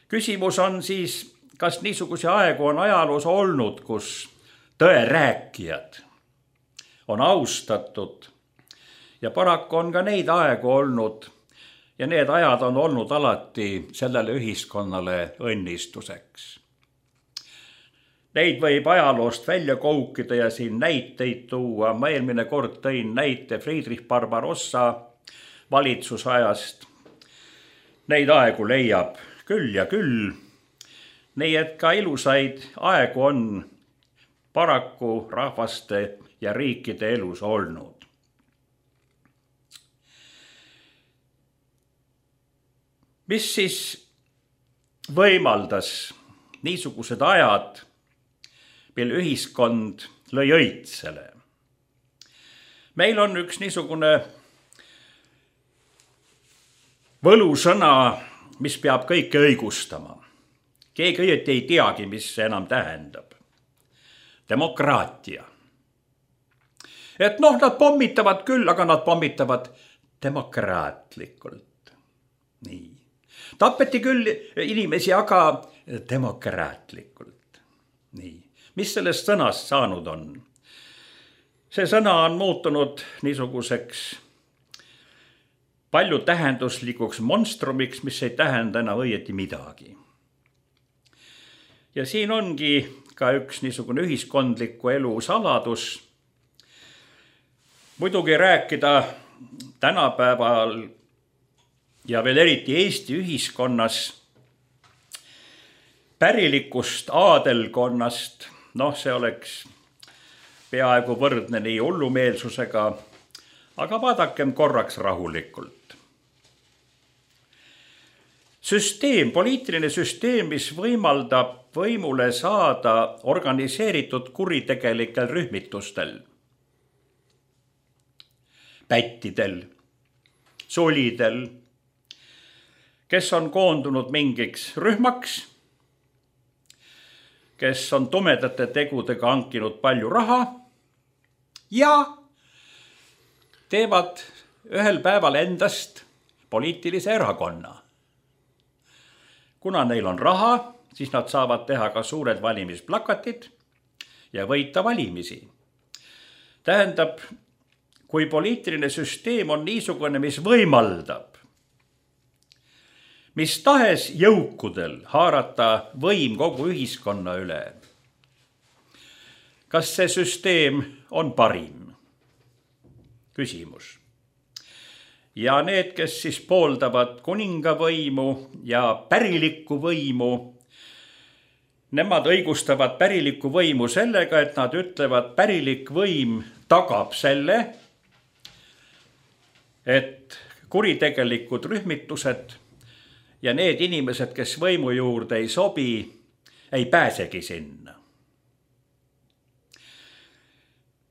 Küsimus on siis, kas niisuguse aegu on ajaloos olnud, kus tõe rääkijad on austatud ja paraku on ka neid aegu olnud ja need ajad on olnud alati sellele ühiskonnale õnnistuseks. Neid võib ajaloost välja koukida ja siin näiteid tuua. Ma eelmine kord tõin näite Friedrich Barbarossa valitsusajast. Neid aegu leiab küll ja küll. Nii et ka ilusaid aegu on paraku rahvaste ja riikide elus olnud. Mis siis võimaldas niisugused ajad, mil ühiskond lõi õitsele? Meil on üks niisugune võlusõna, mis peab kõike õigustama. Keegi õieti ei teagi, mis see enam tähendab. Demokraatia. Et noh, nad pommitavad küll, aga nad pommitavad demokraatlikult. Nii. Tapeti küll inimesi, aga demokraatlikult. Nii. Mis sellest sõnast saanud on? See sõna on muutunud niisuguseks palju tähenduslikuks monstrumiks, mis ei tähenda enam õieti midagi. Ja siin ongi ka üks niisugune ühiskondliku elu saladus. Muidugi rääkida tänapäeval ja veel eriti Eesti ühiskonnas pärilikust aadelkonnast, noh, see oleks peaaegu võrdne nii hullumeelsusega, aga vaadakem korraks rahulikult. Süsteem, poliitiline süsteem, mis võimaldab võimule saada organiseeritud kuritegelikel rühmitustel, pättidel, solidel, kes on koondunud mingiks rühmaks, kes on tumedate tegudega hankinud palju raha ja teevad ühel päeval endast poliitilise erakonna. Kuna neil on raha, siis nad saavad teha ka suured valimisplakatid ja võita valimisi. Tähendab, kui poliitiline süsteem on niisugune, mis võimaldab mis tahes jõukudel haarata võim kogu ühiskonna üle. Kas see süsteem on parim? Küsimus. Ja need, kes siis pooldavad kuningavõimu ja pärilikku võimu, nemad õigustavad pärilikku võimu sellega, et nad ütlevad, pärilik võim tagab selle, et kuritegelikud rühmitused ja need inimesed, kes võimu juurde ei sobi, ei pääsegi sinna.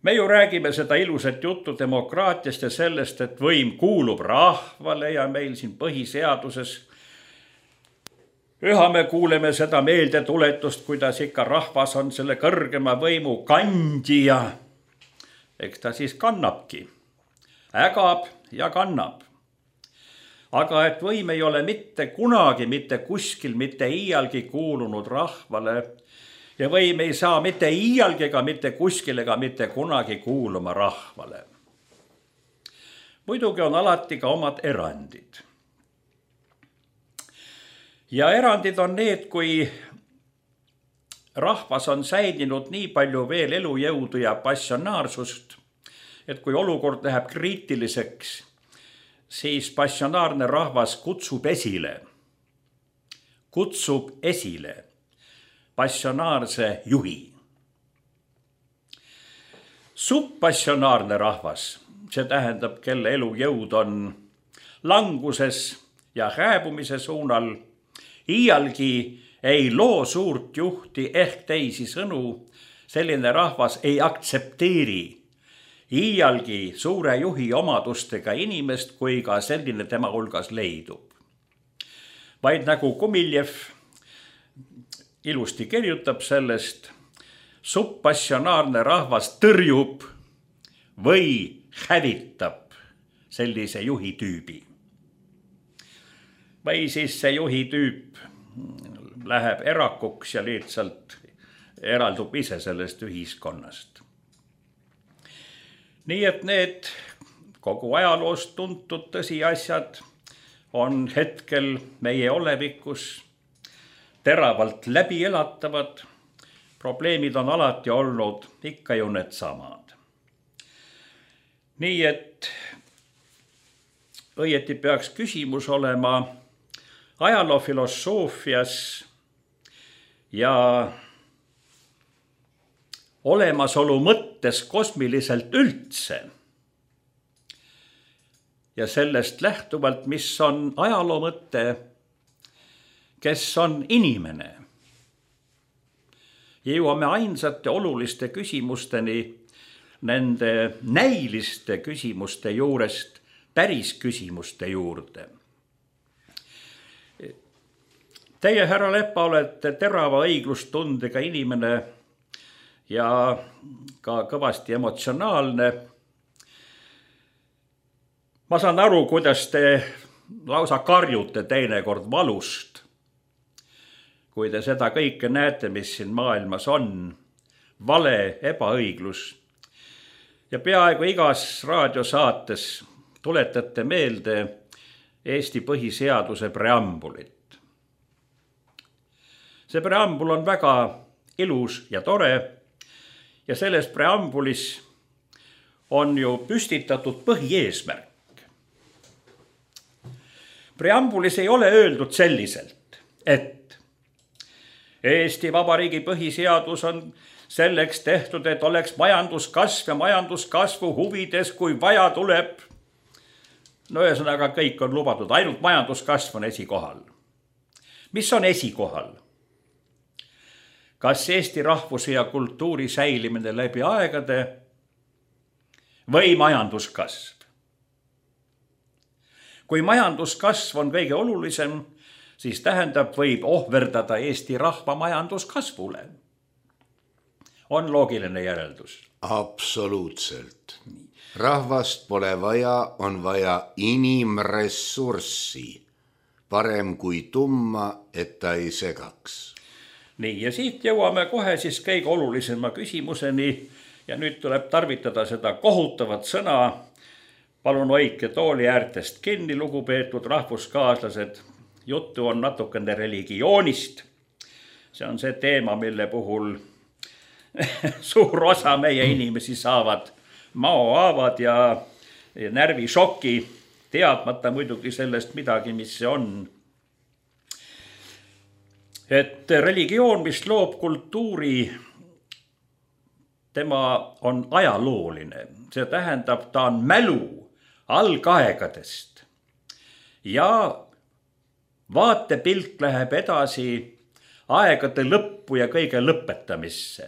me ju räägime seda ilusat juttu demokraatiast ja sellest, et võim kuulub rahvale ja meil siin põhiseaduses üha me kuuleme seda meeldetuletust, kuidas ikka rahvas on selle kõrgema võimu kandja. Eks ta siis kannabki, ägab ja kannab. Aga et võim ei ole mitte kunagi, mitte kuskil, mitte iialgi kuulunud rahvale ja võim ei saa mitte iialgi ega mitte kuskil ega mitte kunagi kuuluma rahvale. Muidugi on alati ka omad erandid. Ja erandid on need, kui rahvas on säilinud nii palju veel elujõudu ja passionaarsust, et kui olukord läheb kriitiliseks, siis passionaarne rahvas kutsub esile, kutsub esile passionaarse juhi. Subpassionaarne rahvas, see tähendab, kelle elujõud on languses ja hääbumise suunal, iialgi ei loo suurt juhti ehk teisi sõnu, selline rahvas ei aktsepteeri iialgi suure juhi omadustega inimest, kui ka selline tema hulgas leidub. Vaid nagu Kumiljev ilusti kirjutab sellest, subpassionaarne rahvas tõrjub või hävitab sellise juhi tüübi. Või siis see juhi tüüp läheb erakuks ja lihtsalt eraldub ise sellest ühiskonnast. Nii et need kogu ajaloost tuntud tõsiasjad on hetkel meie olevikus teravalt läbi elatavad. Probleemid on alati olnud ikka ju need samad. Nii et õieti peaks küsimus olema ajaloofilosoofias ja olemasolu mõttes kosmiliselt üldse. Ja sellest lähtuvalt, mis on ajaloo mõte, kes on inimene. Jõuame ainsate oluliste küsimusteni, nende näiliste küsimuste juurest päris küsimuste juurde. Teie, härra Lepa, olete terava õiglustundega inimene ja ka kõvasti emotsionaalne. Ma saan aru, kuidas te lausa karjute teinekord valust, kui te seda kõike näete, mis siin maailmas on, vale, ebaõiglus. Ja peaaegu igas raadiosaates tuletate meelde Eesti põhiseaduse preambulit. See preambul on väga ilus ja tore ja selles preambulis on ju püstitatud põhieesmärk. Preambulis ei ole öeldud selliselt, et Eesti Vabariigi põhiseadus on selleks tehtud, et oleks majanduskasv ja majanduskasvu huvides, kui vaja tuleb. No ühesõnaga kõik on lubatud, ainult majanduskasv on esikohal. Mis on esikohal? Kas Eesti rahvuse ja kultuuri säilimine läbi aegade või majanduskasv? Kui majanduskasv on kõige olulisem, siis tähendab, võib ohverdada Eesti rahva majanduskasvule. On loogiline järeldus? Absoluutselt. Rahvast pole vaja, on vaja inimressurssi. Parem kui tumma, et ta ei segaks. Nii, ja siit jõuame kohe siis kõige olulisema küsimuseni ja nüüd tuleb tarvitada seda kohutavat sõna. Palun hoidke tooli äärtest kinni, lugupeetud rahvuskaaslased. Juttu on natukene religioonist. See on see teema, mille puhul suur osa meie inimesi saavad maohaavad ja närvišoki, teadmata muidugi sellest midagi, mis see on. Et religioon, mis loob kultuuri, tema on ajalooline. See tähendab, ta on mälu algaegadest. Ja vaatepilk läheb edasi aegade lõppu ja kõige lõpetamisse.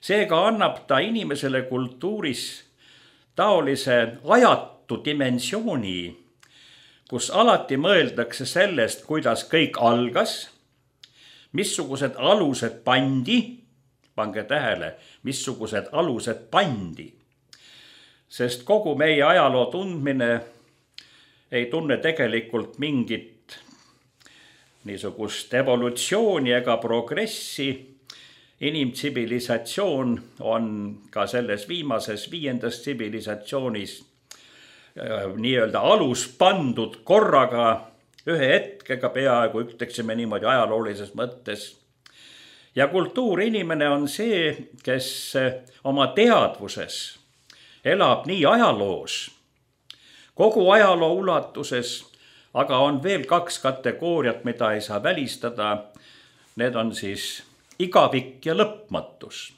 Seega annab ta inimesele kultuuris taolise ajatu dimensiooni, kus alati mõeldakse sellest, kuidas kõik algas, missugused alused pandi, pange tähele, missugused alused pandi, sest kogu meie ajaloo tundmine ei tunne tegelikult mingit niisugust evolutsiooni ega progressi. Inimtsivilisatsioon on ka selles viimases viiendas tsivilisatsioonis nii-öelda alus pandud korraga ühe hetkega peaaegu, ütleksime niimoodi ajaloolises mõttes. Ja kultuurinimene on see, kes oma teadvuses elab nii ajaloos, kogu ajaloo ulatuses, aga on veel kaks kategooriat, mida ei saa välistada. Need on siis igavik ja lõpmatus.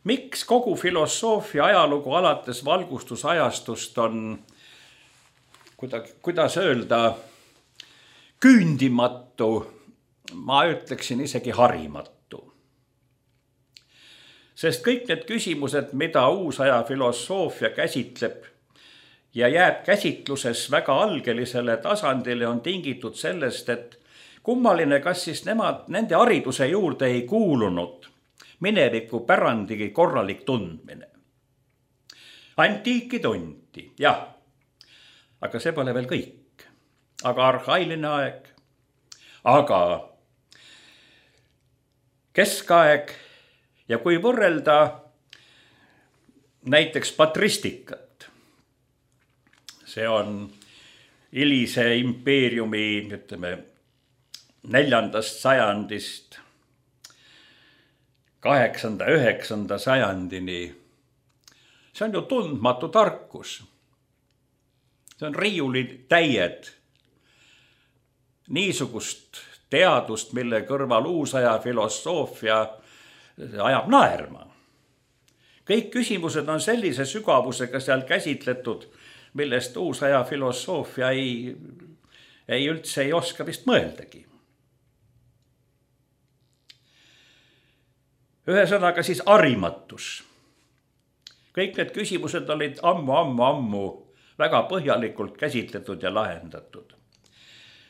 Miks kogu filosoofia ajalugu alates valgustusajastust on, kuidas öelda, küündimatu, ma ütleksin isegi harimatu. Sest kõik need küsimused, mida uusaja filosoofia käsitleb ja jääb käsitluses väga algelisele tasandile, on tingitud sellest, et kummaline, kas siis nemad, nende hariduse juurde ei kuulunud mineviku pärandigi korralik tundmine. Antiiki tunti, jah, aga see pole veel kõik. Aga arhailine aeg, aga keskaeg ja kui võrrelda näiteks patristikat, see on hilise impeeriumi, ütleme, neljandast sajandist kaheksanda, üheksanda sajandini. See on ju tundmatu tarkus. See on riiulid täied. Niisugust teadust, mille kõrval uusaja filosoofia ajab naerma. Kõik küsimused on sellise sügavusega seal käsitletud, millest uusaja filosoofia ei, ei üldse ei oska vist mõeldagi. Ühesõnaga siis harimatus. Kõik need küsimused olid ammu, ammu, ammu väga põhjalikult käsitletud ja lahendatud.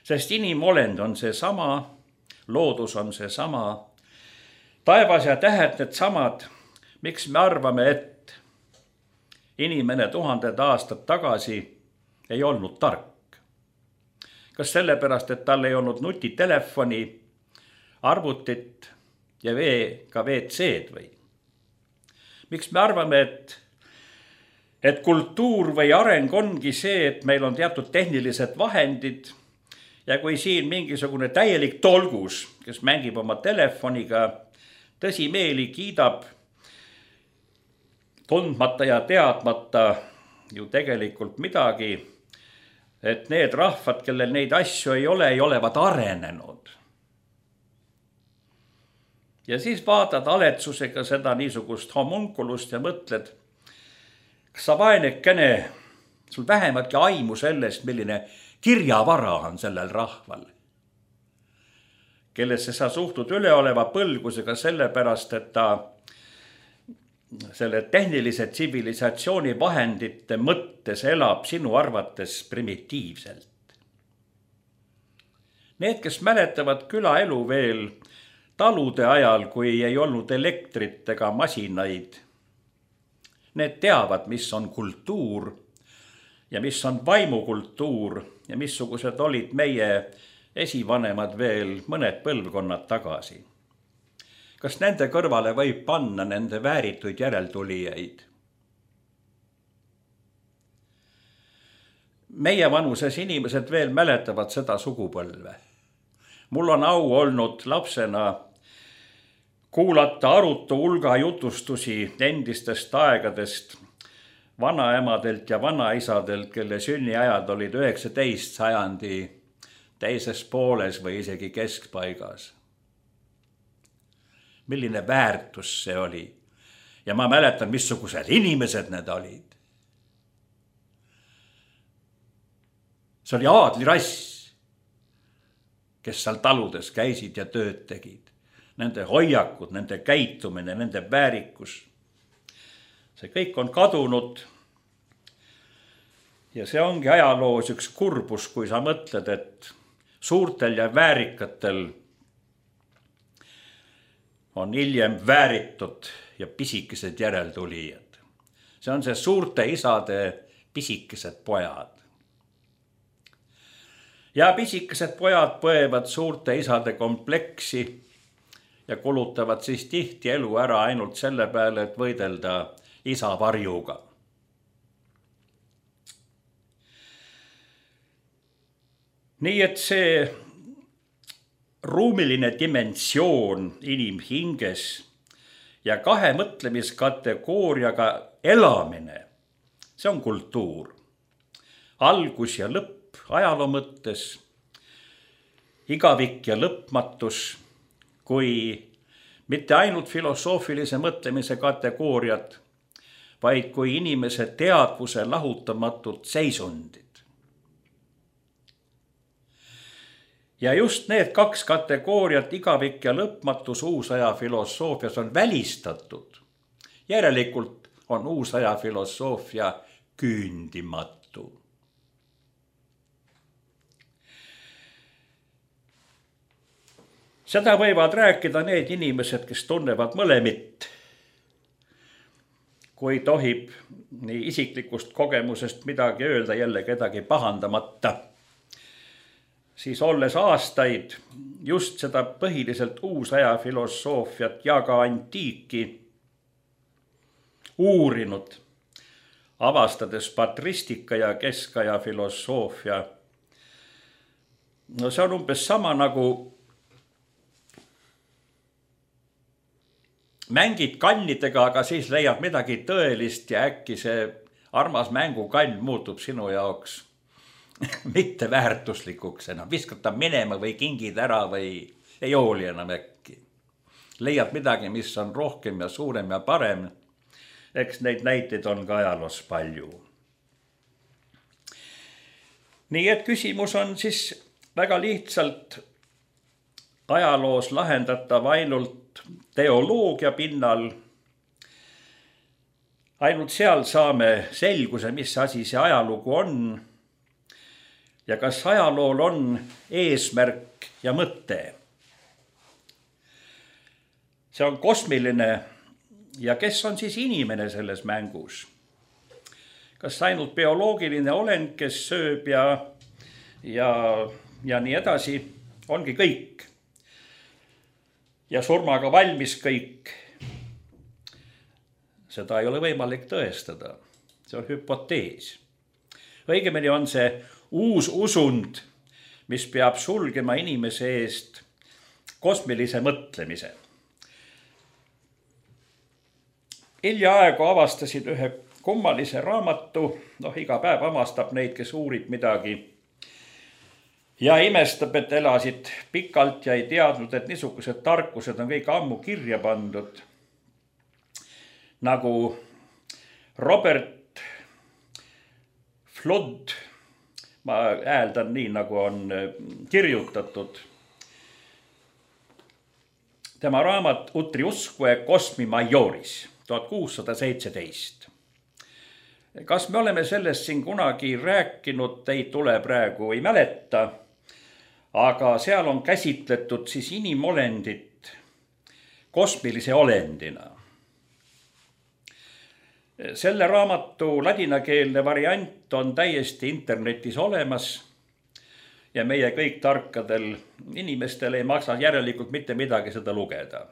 Sest inimolend on see sama, loodus on see sama, taevas ja tähed need samad, miks me arvame, et inimene tuhanded aastad tagasi ei olnud tark. Kas sellepärast, et tal ei olnud nutitelefoni, arvutit ja ka V C-d või? Miks me arvame, et, et kultuur või areng ongi see, et meil on teatud tehnilised vahendid ja kui siin mingisugune täielik tolgus, kes mängib oma telefoniga, tõsimeeli kiidab, tundmata ja teadmata ju tegelikult midagi, et need rahvad, kellel neid asju ei ole, ei olevat arenenud. Ja siis vaatad aletsusega seda niisugust homunkulust ja mõtled, kas sa vaenekene, sul vähematki aimu sellest, milline kirjavara on sellel rahval, kellesse sa suhtud üleoleva põlgusega sellepärast, et ta selle tehnilise tsivilisatsiooni vahendite mõttes elab sinu arvates primitiivselt. Need, kes mäletavad külaelu veel talude ajal, kui ei olnud elektrit ega masinaid, need teavad, mis on kultuur ja mis on vaimukultuur ja missugused olid meie esivanemad veel mõned põlvkonnad tagasi. Kas nende kõrvale võib panna nende väärituid järeltulijaid? Meie vanuses inimesed veel mäletavad seda sugupõlve. Mul on au olnud lapsena kuulata arutu hulga jutustusi endistest aegadest vanaemadelt ja vanaisadelt, kelle sünniajad olid üheksateist sajandi teises pooles või isegi keskpaigas. Milline väärtus see oli. Ja ma mäletan, missugused inimesed need olid. See oli aadlirass, kes seal taludes käisid ja tööd tegid. nende hoiakud, nende käitumine, nende väärikus. See kõik on kadunud. Ja see ongi ajaloos üks kurbus, kui sa mõtled, et suurtel ja väärikatel on hiljem vääritud ja pisikesed järeltulijad. See on see suurte isade pisikesed pojad. Ja pisikesed pojad põevad suurte isade kompleksi ja kulutavad siis tihti elu ära ainult selle peale, et võidelda isa varjuga. Nii et see ruumiline dimensioon inimhinges ja kahe mõtlemiskategooriaga elamine, see on kultuur. Algus ja lõpp ajaloo mõttes, igavik ja lõpmatus, kui mitte ainult filosoofilise mõtlemise kategooriad, vaid kui inimese teadvuse lahutamatult seisundid. Ja just need kaks kategooriat, igavik ja lõpmatus uusaja filosoofias on välistatud. Järelikult on uusaja filosoofia küündimatu. Seda võivad rääkida need inimesed, kes tunnevad mõlemit. Kui tohib nii isiklikust kogemusest midagi öelda jälle kedagi pahandamata, siis olles aastaid just seda põhiliselt uusaja filosoofiat ja ka antiiki uurinud, avastades patristika ja keskaja filosoofia. No see on umbes sama nagu mängid kannidega, aga siis leiad midagi tõelist ja äkki see armas mängukann muutub sinu jaoks mitte väärtuslikuks enam. Viskad ta minema või kingid ära või ei hooli enam äkki. Leiad midagi, mis on rohkem ja suurem ja parem. Eks neid näiteid on ka ajaloos palju. Nii et küsimus on siis väga lihtsalt ajaloos lahendatav ainult teoloogia pinnal. Ainult seal saame selguse, mis asi see ajalugu on ja kas ajalool on eesmärk ja mõte. See on kosmiline ja kes on siis inimene selles mängus? Kas ainult bioloogiline olend, kes sööb ja, ja, ja nii edasi, ongi kõik. Ja surmaga valmis kõik. Seda ei ole võimalik tõestada. See on hüpotees. Õigemini on see uus usund, mis peab sulgema inimese eest kosmilise mõtlemise. Hiljaaegu avastasin ühe kummalise raamatu, noh iga päev avastab neid, kes uurib midagi ja imestab, et elasid pikalt ja ei teadnud, et niisugused tarkused on kõik ammu kirja pandud. Nagu Robert Flood, ma hääldan nii, nagu on kirjutatud. Tema raamat Utriusque Cosmi Majoris, tuhat kuussada seitseteist. Kas me oleme sellest siin kunagi rääkinud, ei tule praegu, ei mäleta, aga seal on käsitletud siis inimolendit kosmilise olendina. Selle raamatu ladinakeelne variant on täiesti internetis olemas ja meie kõik tarkadel inimestel ei maksa järelikult mitte midagi seda lugeda.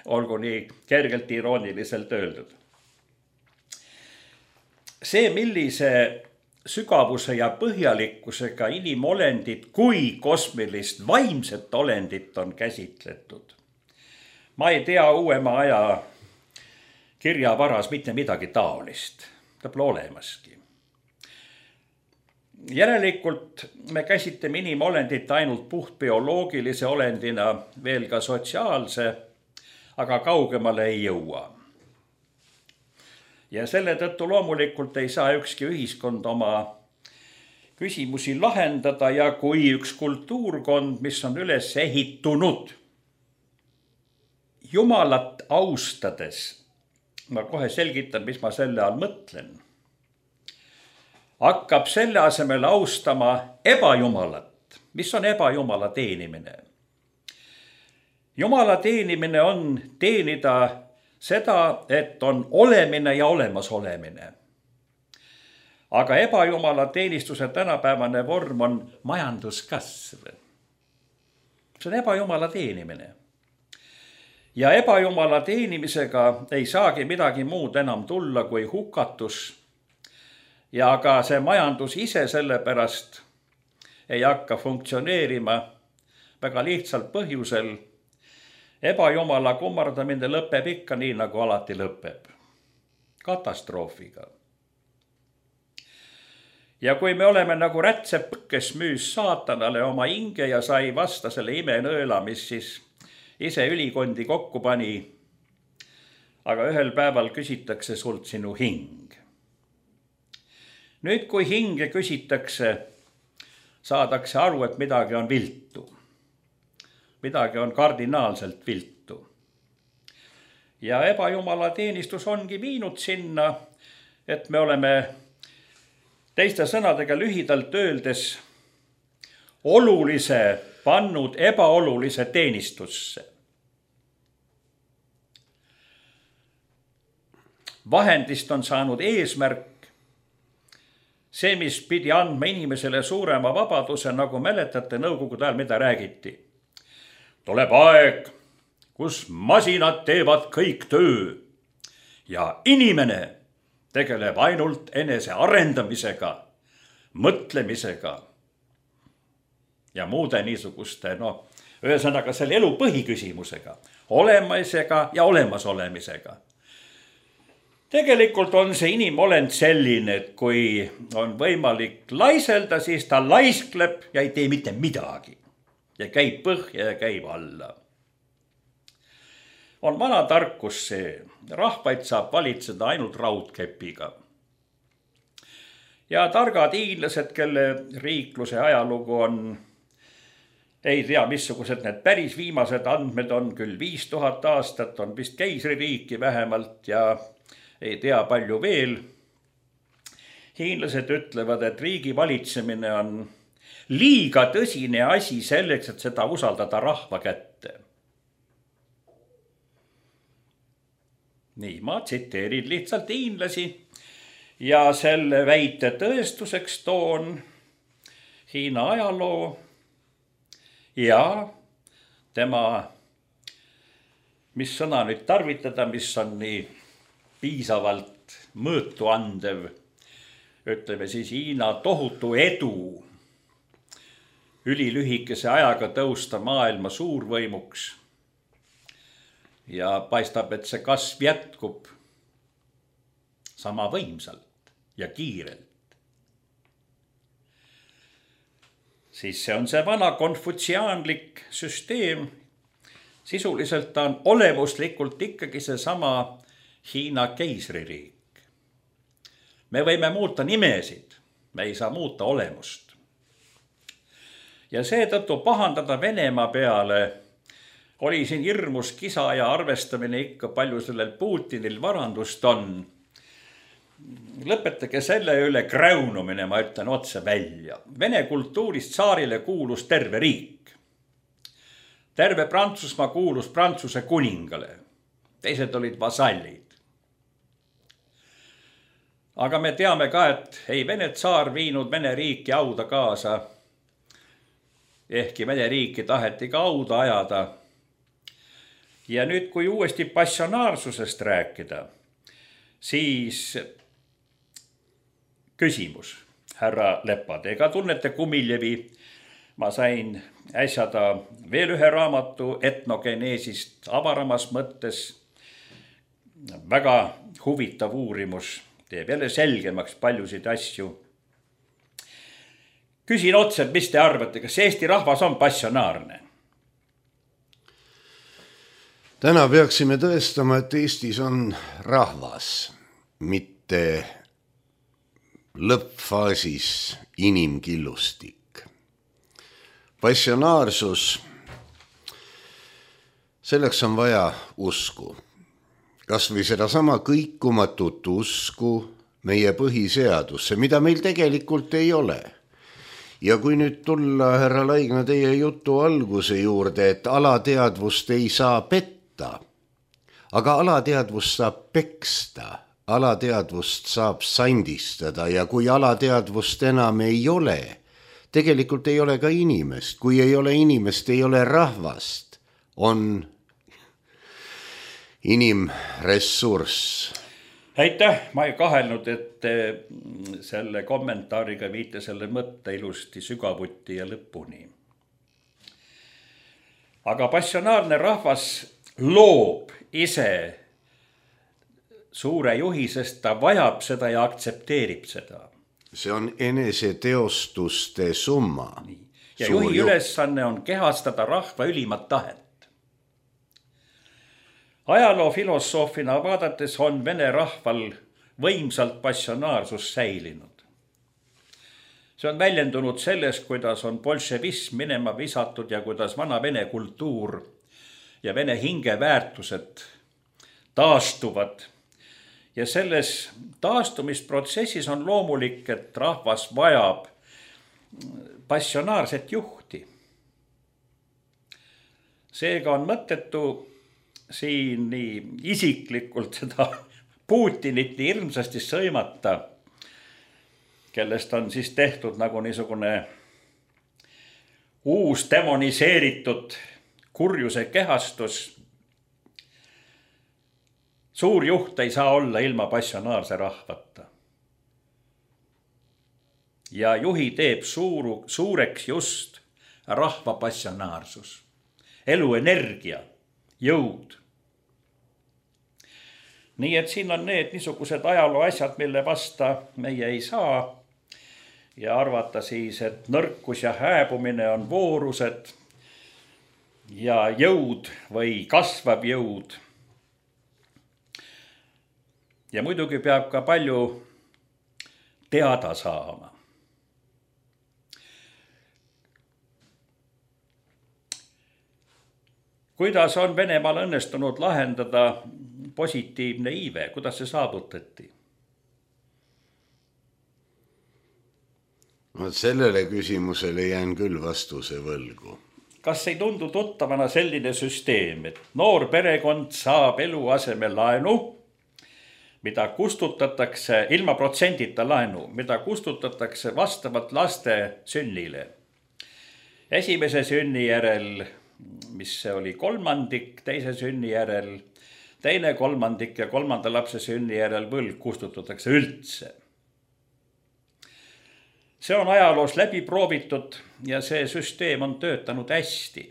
Olgu nii kergelt irooniliselt öeldud. See, millise sügavuse ja põhjalikkusega inimolendit kui kosmilist vaimset olendit on käsitletud. Ma ei tea uuema aja kirjavaras mitte midagi taolist. Ta pole olemaski. Järelikult me käsitleme inimolendit ainult puht bioloogilise olendina, veel ka sotsiaalse, aga kaugemale ei jõua. Ja selle tõttu loomulikult ei saa ükski ühiskond oma küsimusi lahendada ja kui üks kultuurkond, mis on üles ehitunud Jumalat austades, ma kohe selgitan, mis ma selle all mõtlen, hakkab selle asemel austama ebajumalat. Mis on ebajumala teenimine? Jumala teenimine on teenida seda, et on olemine ja olemasolemine. Aga ebajumala teenistuse tänapäevane vorm on majanduskasv. See on ebajumala teenimine. Ja ebajumala teenimisega ei saagi midagi muud enam tulla kui hukatus. Ja ka see majandus ise sellepärast ei hakka funktsioneerima väga lihtsalt põhjusel. Ebajumala kummardamine lõpeb ikka nii, nagu alati lõpeb. Katastroofiga. Ja kui me oleme nagu rätsep, kes müüs saatanale oma hinge ja sai vasta selle imenõela, mis siis ise ülikondi kokku pani, aga ühel päeval küsitakse sult sinu hing. Nüüd, kui hinge küsitakse, saadakse aru, et midagi on viltu. Midagi on kardinaalselt viltu. Ja ebajumala teenistus ongi viinud sinna, et me oleme teiste sõnadega lühidalt öeldes olulise pannud ebaolulise teenistusse. Vahendist on saanud eesmärk, see, mis pidi andma inimesele suurema vabaduse, nagu mäletate nõukogude ajal, mida räägiti. Tuleb aeg, kus masinad teevad kõik töö ja inimene tegeleb ainult enese arendamisega, mõtlemisega ja muude niisuguste, no, ühesõnaga selle elu põhiküsimusega, olemisega ja olemasolemisega. Tegelikult on see inimolend selline, et kui on võimalik laiselda, siis ta laiskleb ja ei tee mitte midagi. Ja käib põhja ja käib alla. On vana tarkus see, rahvaid saab valitseda ainult raudkepiga. Ja targad hiinlased, kelle riikluse ajalugu on, ei tea, missugused need päris viimased andmed on, küll viis tuhat aastat, on vist keisririiki vähemalt ja ei tea palju veel. Hiinlased ütlevad, et riigi valitsemine on liiga tõsine asi selleks, et seda usaldada rahva kätte. Nii, ma tsiteerin lihtsalt hiinlasi ja selle väite tõestuseks toon Hiina ajaloo ja tema, mis sõna nüüd tarvitada, mis on nii piisavalt mõõtu andev, ütleme siis Hiina tohutu edu ülilühikese ajaga tõusta maailma suurvõimuks. Ja paistab, et see kasv jätkub sama võimsalt ja kiirelt. Siis see on see vana konfutsiaanlik süsteem. Sisuliselt ta on olemuslikult ikkagi see sama Hiina keisririik. Me võime muuta nimesid, me ei saa muuta olemust. Ja seetõttu pahandada Venemaa peale oli siin hirmus kisa ja arvestamine ikka palju sellel Putinil varandust on. Lõpetage selle üle kräunumine, ma ütlen otse välja. Vene kultuurist tsaarile kuulus terve riik. Terve Prantsusmaa kuulus Prantsuse kuningale. Teised olid vasallid. Aga me teame ka, et ei Vene tsaar viinud Vene riiki auda kaasa. Ehkki Vene riiki taheti ka auda ajada. Ja nüüd, kui uuesti passionaarsusest rääkida, siis küsimus, härra Lepad, ega tunnete Kumiljevi? Ma sain äsjada veel ühe raamatu etnogeneesist avaramas mõttes. Väga huvitav uurimus, teeb jälle selgemaks paljusid asju. Küsin otse, mis te arvate, kas Eesti rahvas on passionaarne? Täna peaksime tõestama, et Eestis on rahvas, mitte lõppfaasis inimkillustik. Passionaarsus, selleks on vaja usku. Kas või seda sama kõikumatut usku meie põhiseadusse, mida meil tegelikult ei ole. Ja kui nüüd tulla, härra Laigna, teie jutu alguse juurde, et alateadvust ei saa petta, aga alateadvust saab peksta, alateadvust saab sandistada ja kui alateadvust enam ei ole, tegelikult ei ole ka inimest, kui ei ole inimest, ei ole rahvast, on inimressurss. Aitäh, ma ei kahelnud, et selle kommentaariga viite selle mõtte ilusti sügavuti ja lõpuni. Aga passionaarne rahvas loob ise suure juhi, sest ta vajab seda ja aktsepteerib seda. See on eneseteostuste summa. Ja juhi ülesanne on kehastada rahva ülimat tahet. Ajaloo filosoofina vaadates on vene rahval võimsalt passionaarsus säilinud. See on väljendunud selles, kuidas on bolševism minema visatud ja kuidas vana vene kultuur ja vene hingeväärtused taastuvad. Ja selles taastumisprotsessis on loomulik, et rahvas vajab passionaarset juhti. Seega on mõttetu siin nii isiklikult seda Putinit nii hirmsasti sõimata, kellest on siis tehtud nagu niisugune uus demoniseeritud kurjuse kehastus. Suur juht ei saa olla ilma passionaarse rahvata. Ja juhi teeb suuru, suureks just rahva passionaarsus, eluenergia, jõud. Nii et siin on need niisugused ajaloo asjad, mille vasta meie ei saa ja arvata siis, et nõrkus ja hääbumine on voorused ja jõud või kasvav jõud. Ja muidugi peab ka palju teada saama. Kuidas on Venemaal õnnestunud lahendada positiivne iive? Kuidas see saavutati? No, sellele küsimusele jään küll vastuse võlgu. Kas ei tundu tuttavana selline süsteem, et noor perekond saab eluaseme laenu, mida kustutatakse, ilma protsendita laenu, mida kustutatakse vastavalt laste sünnile. Esimese sünni järel, mis see oli kolmandik, teise sünni järel, teine kolmandik ja kolmanda lapse sünni järel võlg kustutatakse üldse. See on ajaloos läbi proovitud ja see süsteem on töötanud hästi.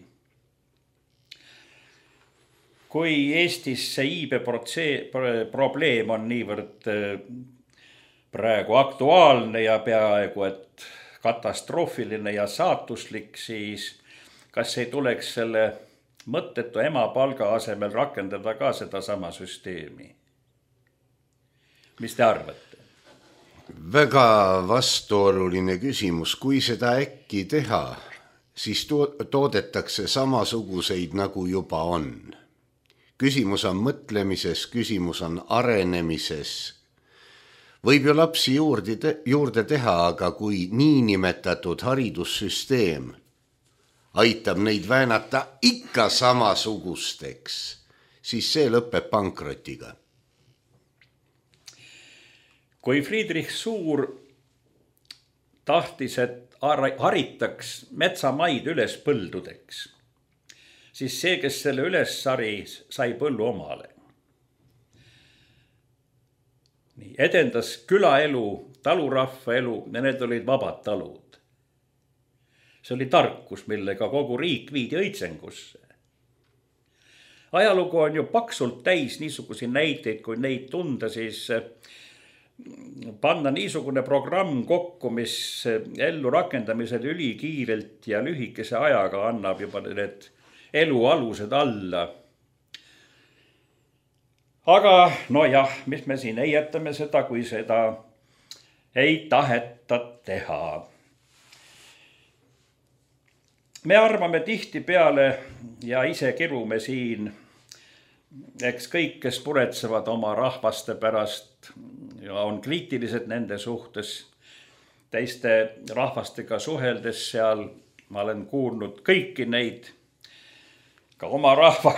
Kui Eestis see iibe probleem on niivõrd praegu aktuaalne ja peaaegu et katastroofiline ja saatuslik, siis kas ei tuleks selle mõttetu ema palga asemel rakendada ka seda sama süsteemi? Mis te arvate? Väga vastuoluline küsimus. Kui seda äkki teha, siis toodetakse samasuguseid nagu juba on. Küsimus on mõtlemises, küsimus on arenemises. Võib ju lapsi juurde, te- juurde teha, aga kui niinimetatud haridussüsteem aitab neid väänata ikka samasugusteks, siis see lõpeb pankrotiga. Kui Friedrich Suur tahtis, et haritaks metsamaid üles põldudeks, siis see, kes selle üles sari, sai põllu omale. Nii, edendas külaelu, talurahva elu ja need olid vabad talud. See oli tarkus, millega kogu riik viidi õitsengusse. Ajalugu on ju paksult täis niisugusi näiteid, kui neid tunda, siis panna niisugune programm kokku, mis ellu rakendamised ülikiirelt ja lühikese ajaga annab juba need elu alused alla. Aga no jah, mis me siin ei jätame seda, kui seda ei taheta teha. Me arvame tihtipeale ja ise kirume siin, eks kõik, kes muretsevad oma rahvaste pärast ja on kriitilised nende suhtes, teiste rahvastega suheldes seal, ma olen kuulnud kõiki neid, ka oma rahva,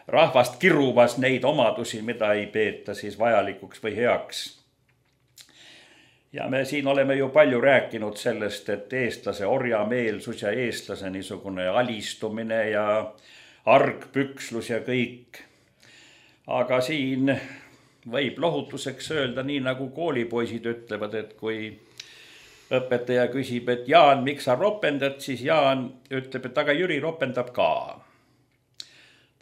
rahvast kirumas neid omadusi, mida ei peeta siis vajalikuks või heaks. Ja me siin oleme ju palju rääkinud sellest, et eestlase orjameelsus ja eestlase niisugune alistumine ja argpükslus ja kõik. Aga siin võib lohutuseks öelda nii, nagu koolipoisid ütlevad, et kui õpetaja küsib, et Jaan, miks sa ropendad, siis Jaan ütleb, et aga Jüri ropendab ka.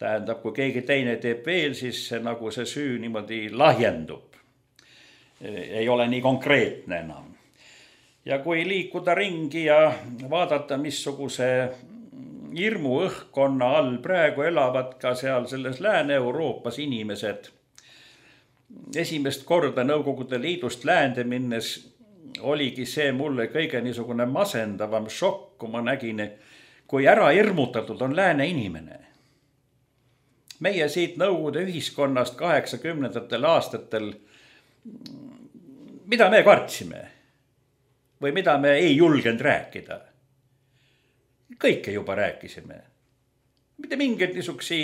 Tähendab, kui keegi teine teeb veel, siis see, nagu see süü niimoodi lahjendub. Ei ole nii konkreetne enam. Ja kui liikuda ringi ja vaadata, missuguse hirmu õhkkonna all praegu elavad ka seal selles Lääne-Euroopas inimesed. Esimest korda Nõukogude Liidust läände minnes oligi see mulle kõige niisugune masendavam šokk, kui ma nägin, kui ära hirmutatud on lääne inimene. Meie siit Nõukogude ühiskonnast kaheksakümnendatel aastatel, mida me kartsime või mida me ei julgenud rääkida? Kõike juba rääkisime. Mitte mingeid niisuksi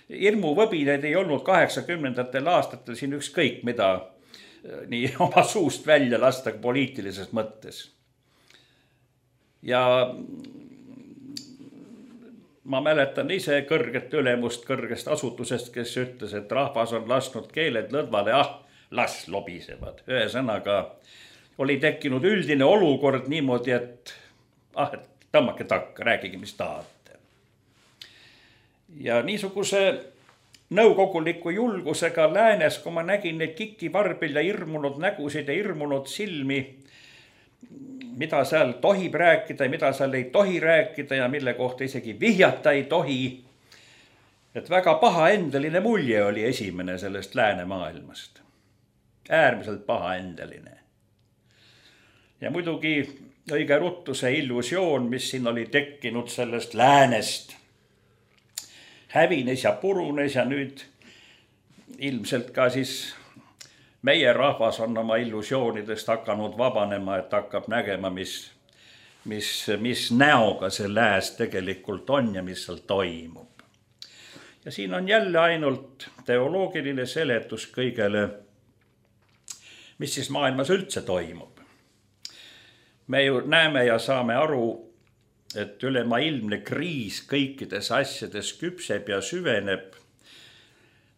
hirmuvõbineid ei olnud kaheksakümnendatel aastatel siin ükskõik mida nii oma suust välja lasta poliitilises mõttes. Ja ma mäletan ise kõrget ülemust kõrgest asutusest, kes ütles, et rahvas on lasknud keeled lõdvale, ah, las lobisevad. Ühesõnaga oli tekkinud üldine olukord niimoodi, et ah, et tõmmake takka, rääkige, mis tahate. Ja niisuguse nõukoguliku julgusega läänes, kui ma nägin neid kikivarbil ja hirmunud nägusid ja hirmunud silmi, mida seal tohib rääkida ja mida seal ei tohi rääkida ja mille kohta isegi vihjata ei tohi. Et väga pahaendeline mulje oli esimene sellest läänemaailmast. Äärmiselt pahaendeline. Ja muidugi õige ruttu see illusioon, mis siin oli tekkinud sellest läänest, hävines ja purunes ja nüüd ilmselt ka siis meie rahvas on oma illusioonidest hakanud vabanema, et hakkab nägema, mis, mis, mis näoga see lääs tegelikult on ja mis seal toimub. Ja siin on jälle ainult teoloogiline seletus kõigele, mis siis maailmas üldse toimub. Me ju näeme ja saame aru, et ülemaailmne kriis kõikides asjades küpseb ja süveneb.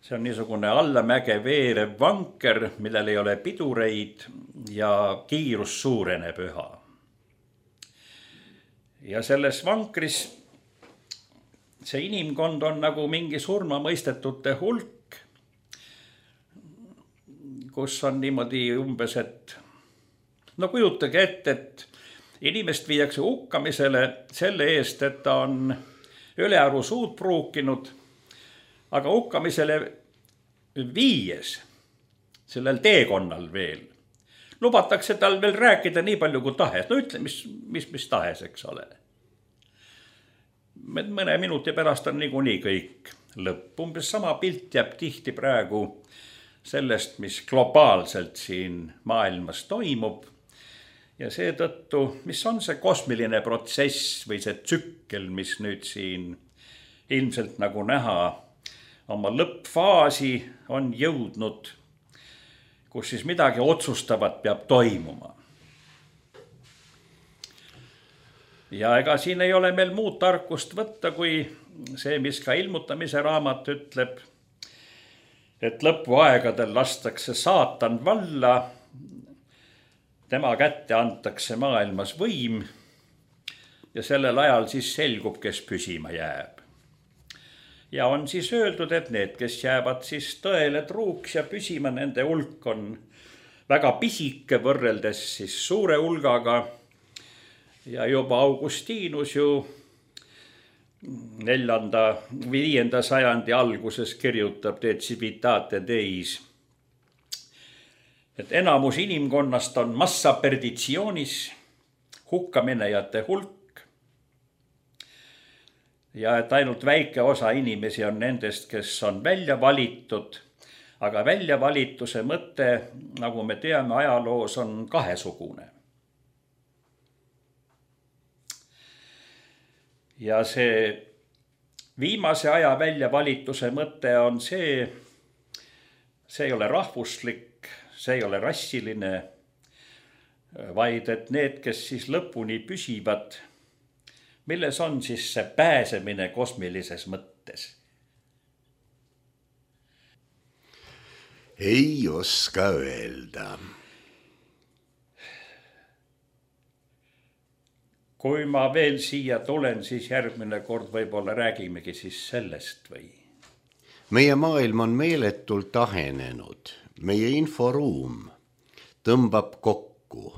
See on niisugune allamäge veerev vanker, millel ei ole pidureid ja kiirus suureneb üha. Ja selles vankris see inimkond on nagu mingi surmamõistetute hulk, kus on niimoodi umbes, et no kujutage ette, et inimest viiakse hukkamisele selle eest, et ta on ülearu suud pruukinud, aga hukkamisele viies sellel teekonnal veel. Lubatakse tal veel rääkida nii palju kui tahes. No ütle, mis, mis, mis tahes, eks ole. Mõne minuti pärast on niikuinii kõik lõpp. Umbes sama pilt jääb tihti praegu sellest, mis globaalselt siin maailmas toimub. Ja seetõttu, mis on see kosmiline protsess või see tsükkel, mis nüüd siin ilmselt nagu näha oma lõppfaasi on jõudnud, kus siis midagi otsustavat peab toimuma. Ja ega siin ei ole meil muud tarkust võtta, kui see, mis ka ilmutamise raamat ütleb, et lõpuaegadel lastakse saatan valla, tema kätte antakse maailmas võim ja sellel ajal siis selgub, kes püsima jääb. Ja on siis öeldud, et need, kes jäävad siis tõele truuks ja püsima, nende hulk on väga pisike võrreldes siis suure hulgaga. Ja juba Augustinus ju neljanda või viienda sajandi alguses kirjutab De Civitate Deis. et enamus inimkonnast on massa perditsioonis, hukkaminejate hulk ja et ainult väike osa inimesi on nendest, kes on välja valitud, aga väljavalituse mõte, nagu me teame ajaloos, on kahesugune. Ja see viimase aja väljavalituse mõte on see, see ei ole rahvuslik, see ei ole rassiline, vaid et need, kes siis lõpuni püsivad, milles on siis see pääsemine kosmilises mõttes? Ei oska öelda. Kui ma veel siia tulen, siis järgmine kord võib-olla räägimegi siis sellest või? Meie maailm on meeletult ahenenud. Meie inforuum tõmbab kokku.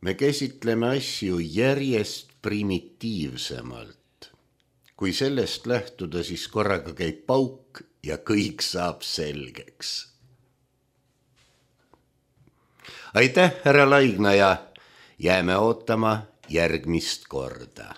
Me käsitleme asju järjest primitiivsemalt. Kui sellest lähtuda, siis korraga käib pauk ja kõik saab selgeks. Aitäh, härra Laignaja. Jääme ootama järgmist korda.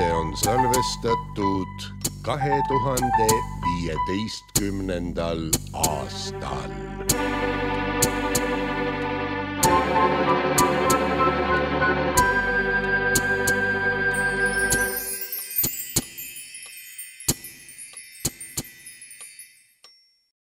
saade on salvestatud kahe tuhande viieteistkümnendal aastal.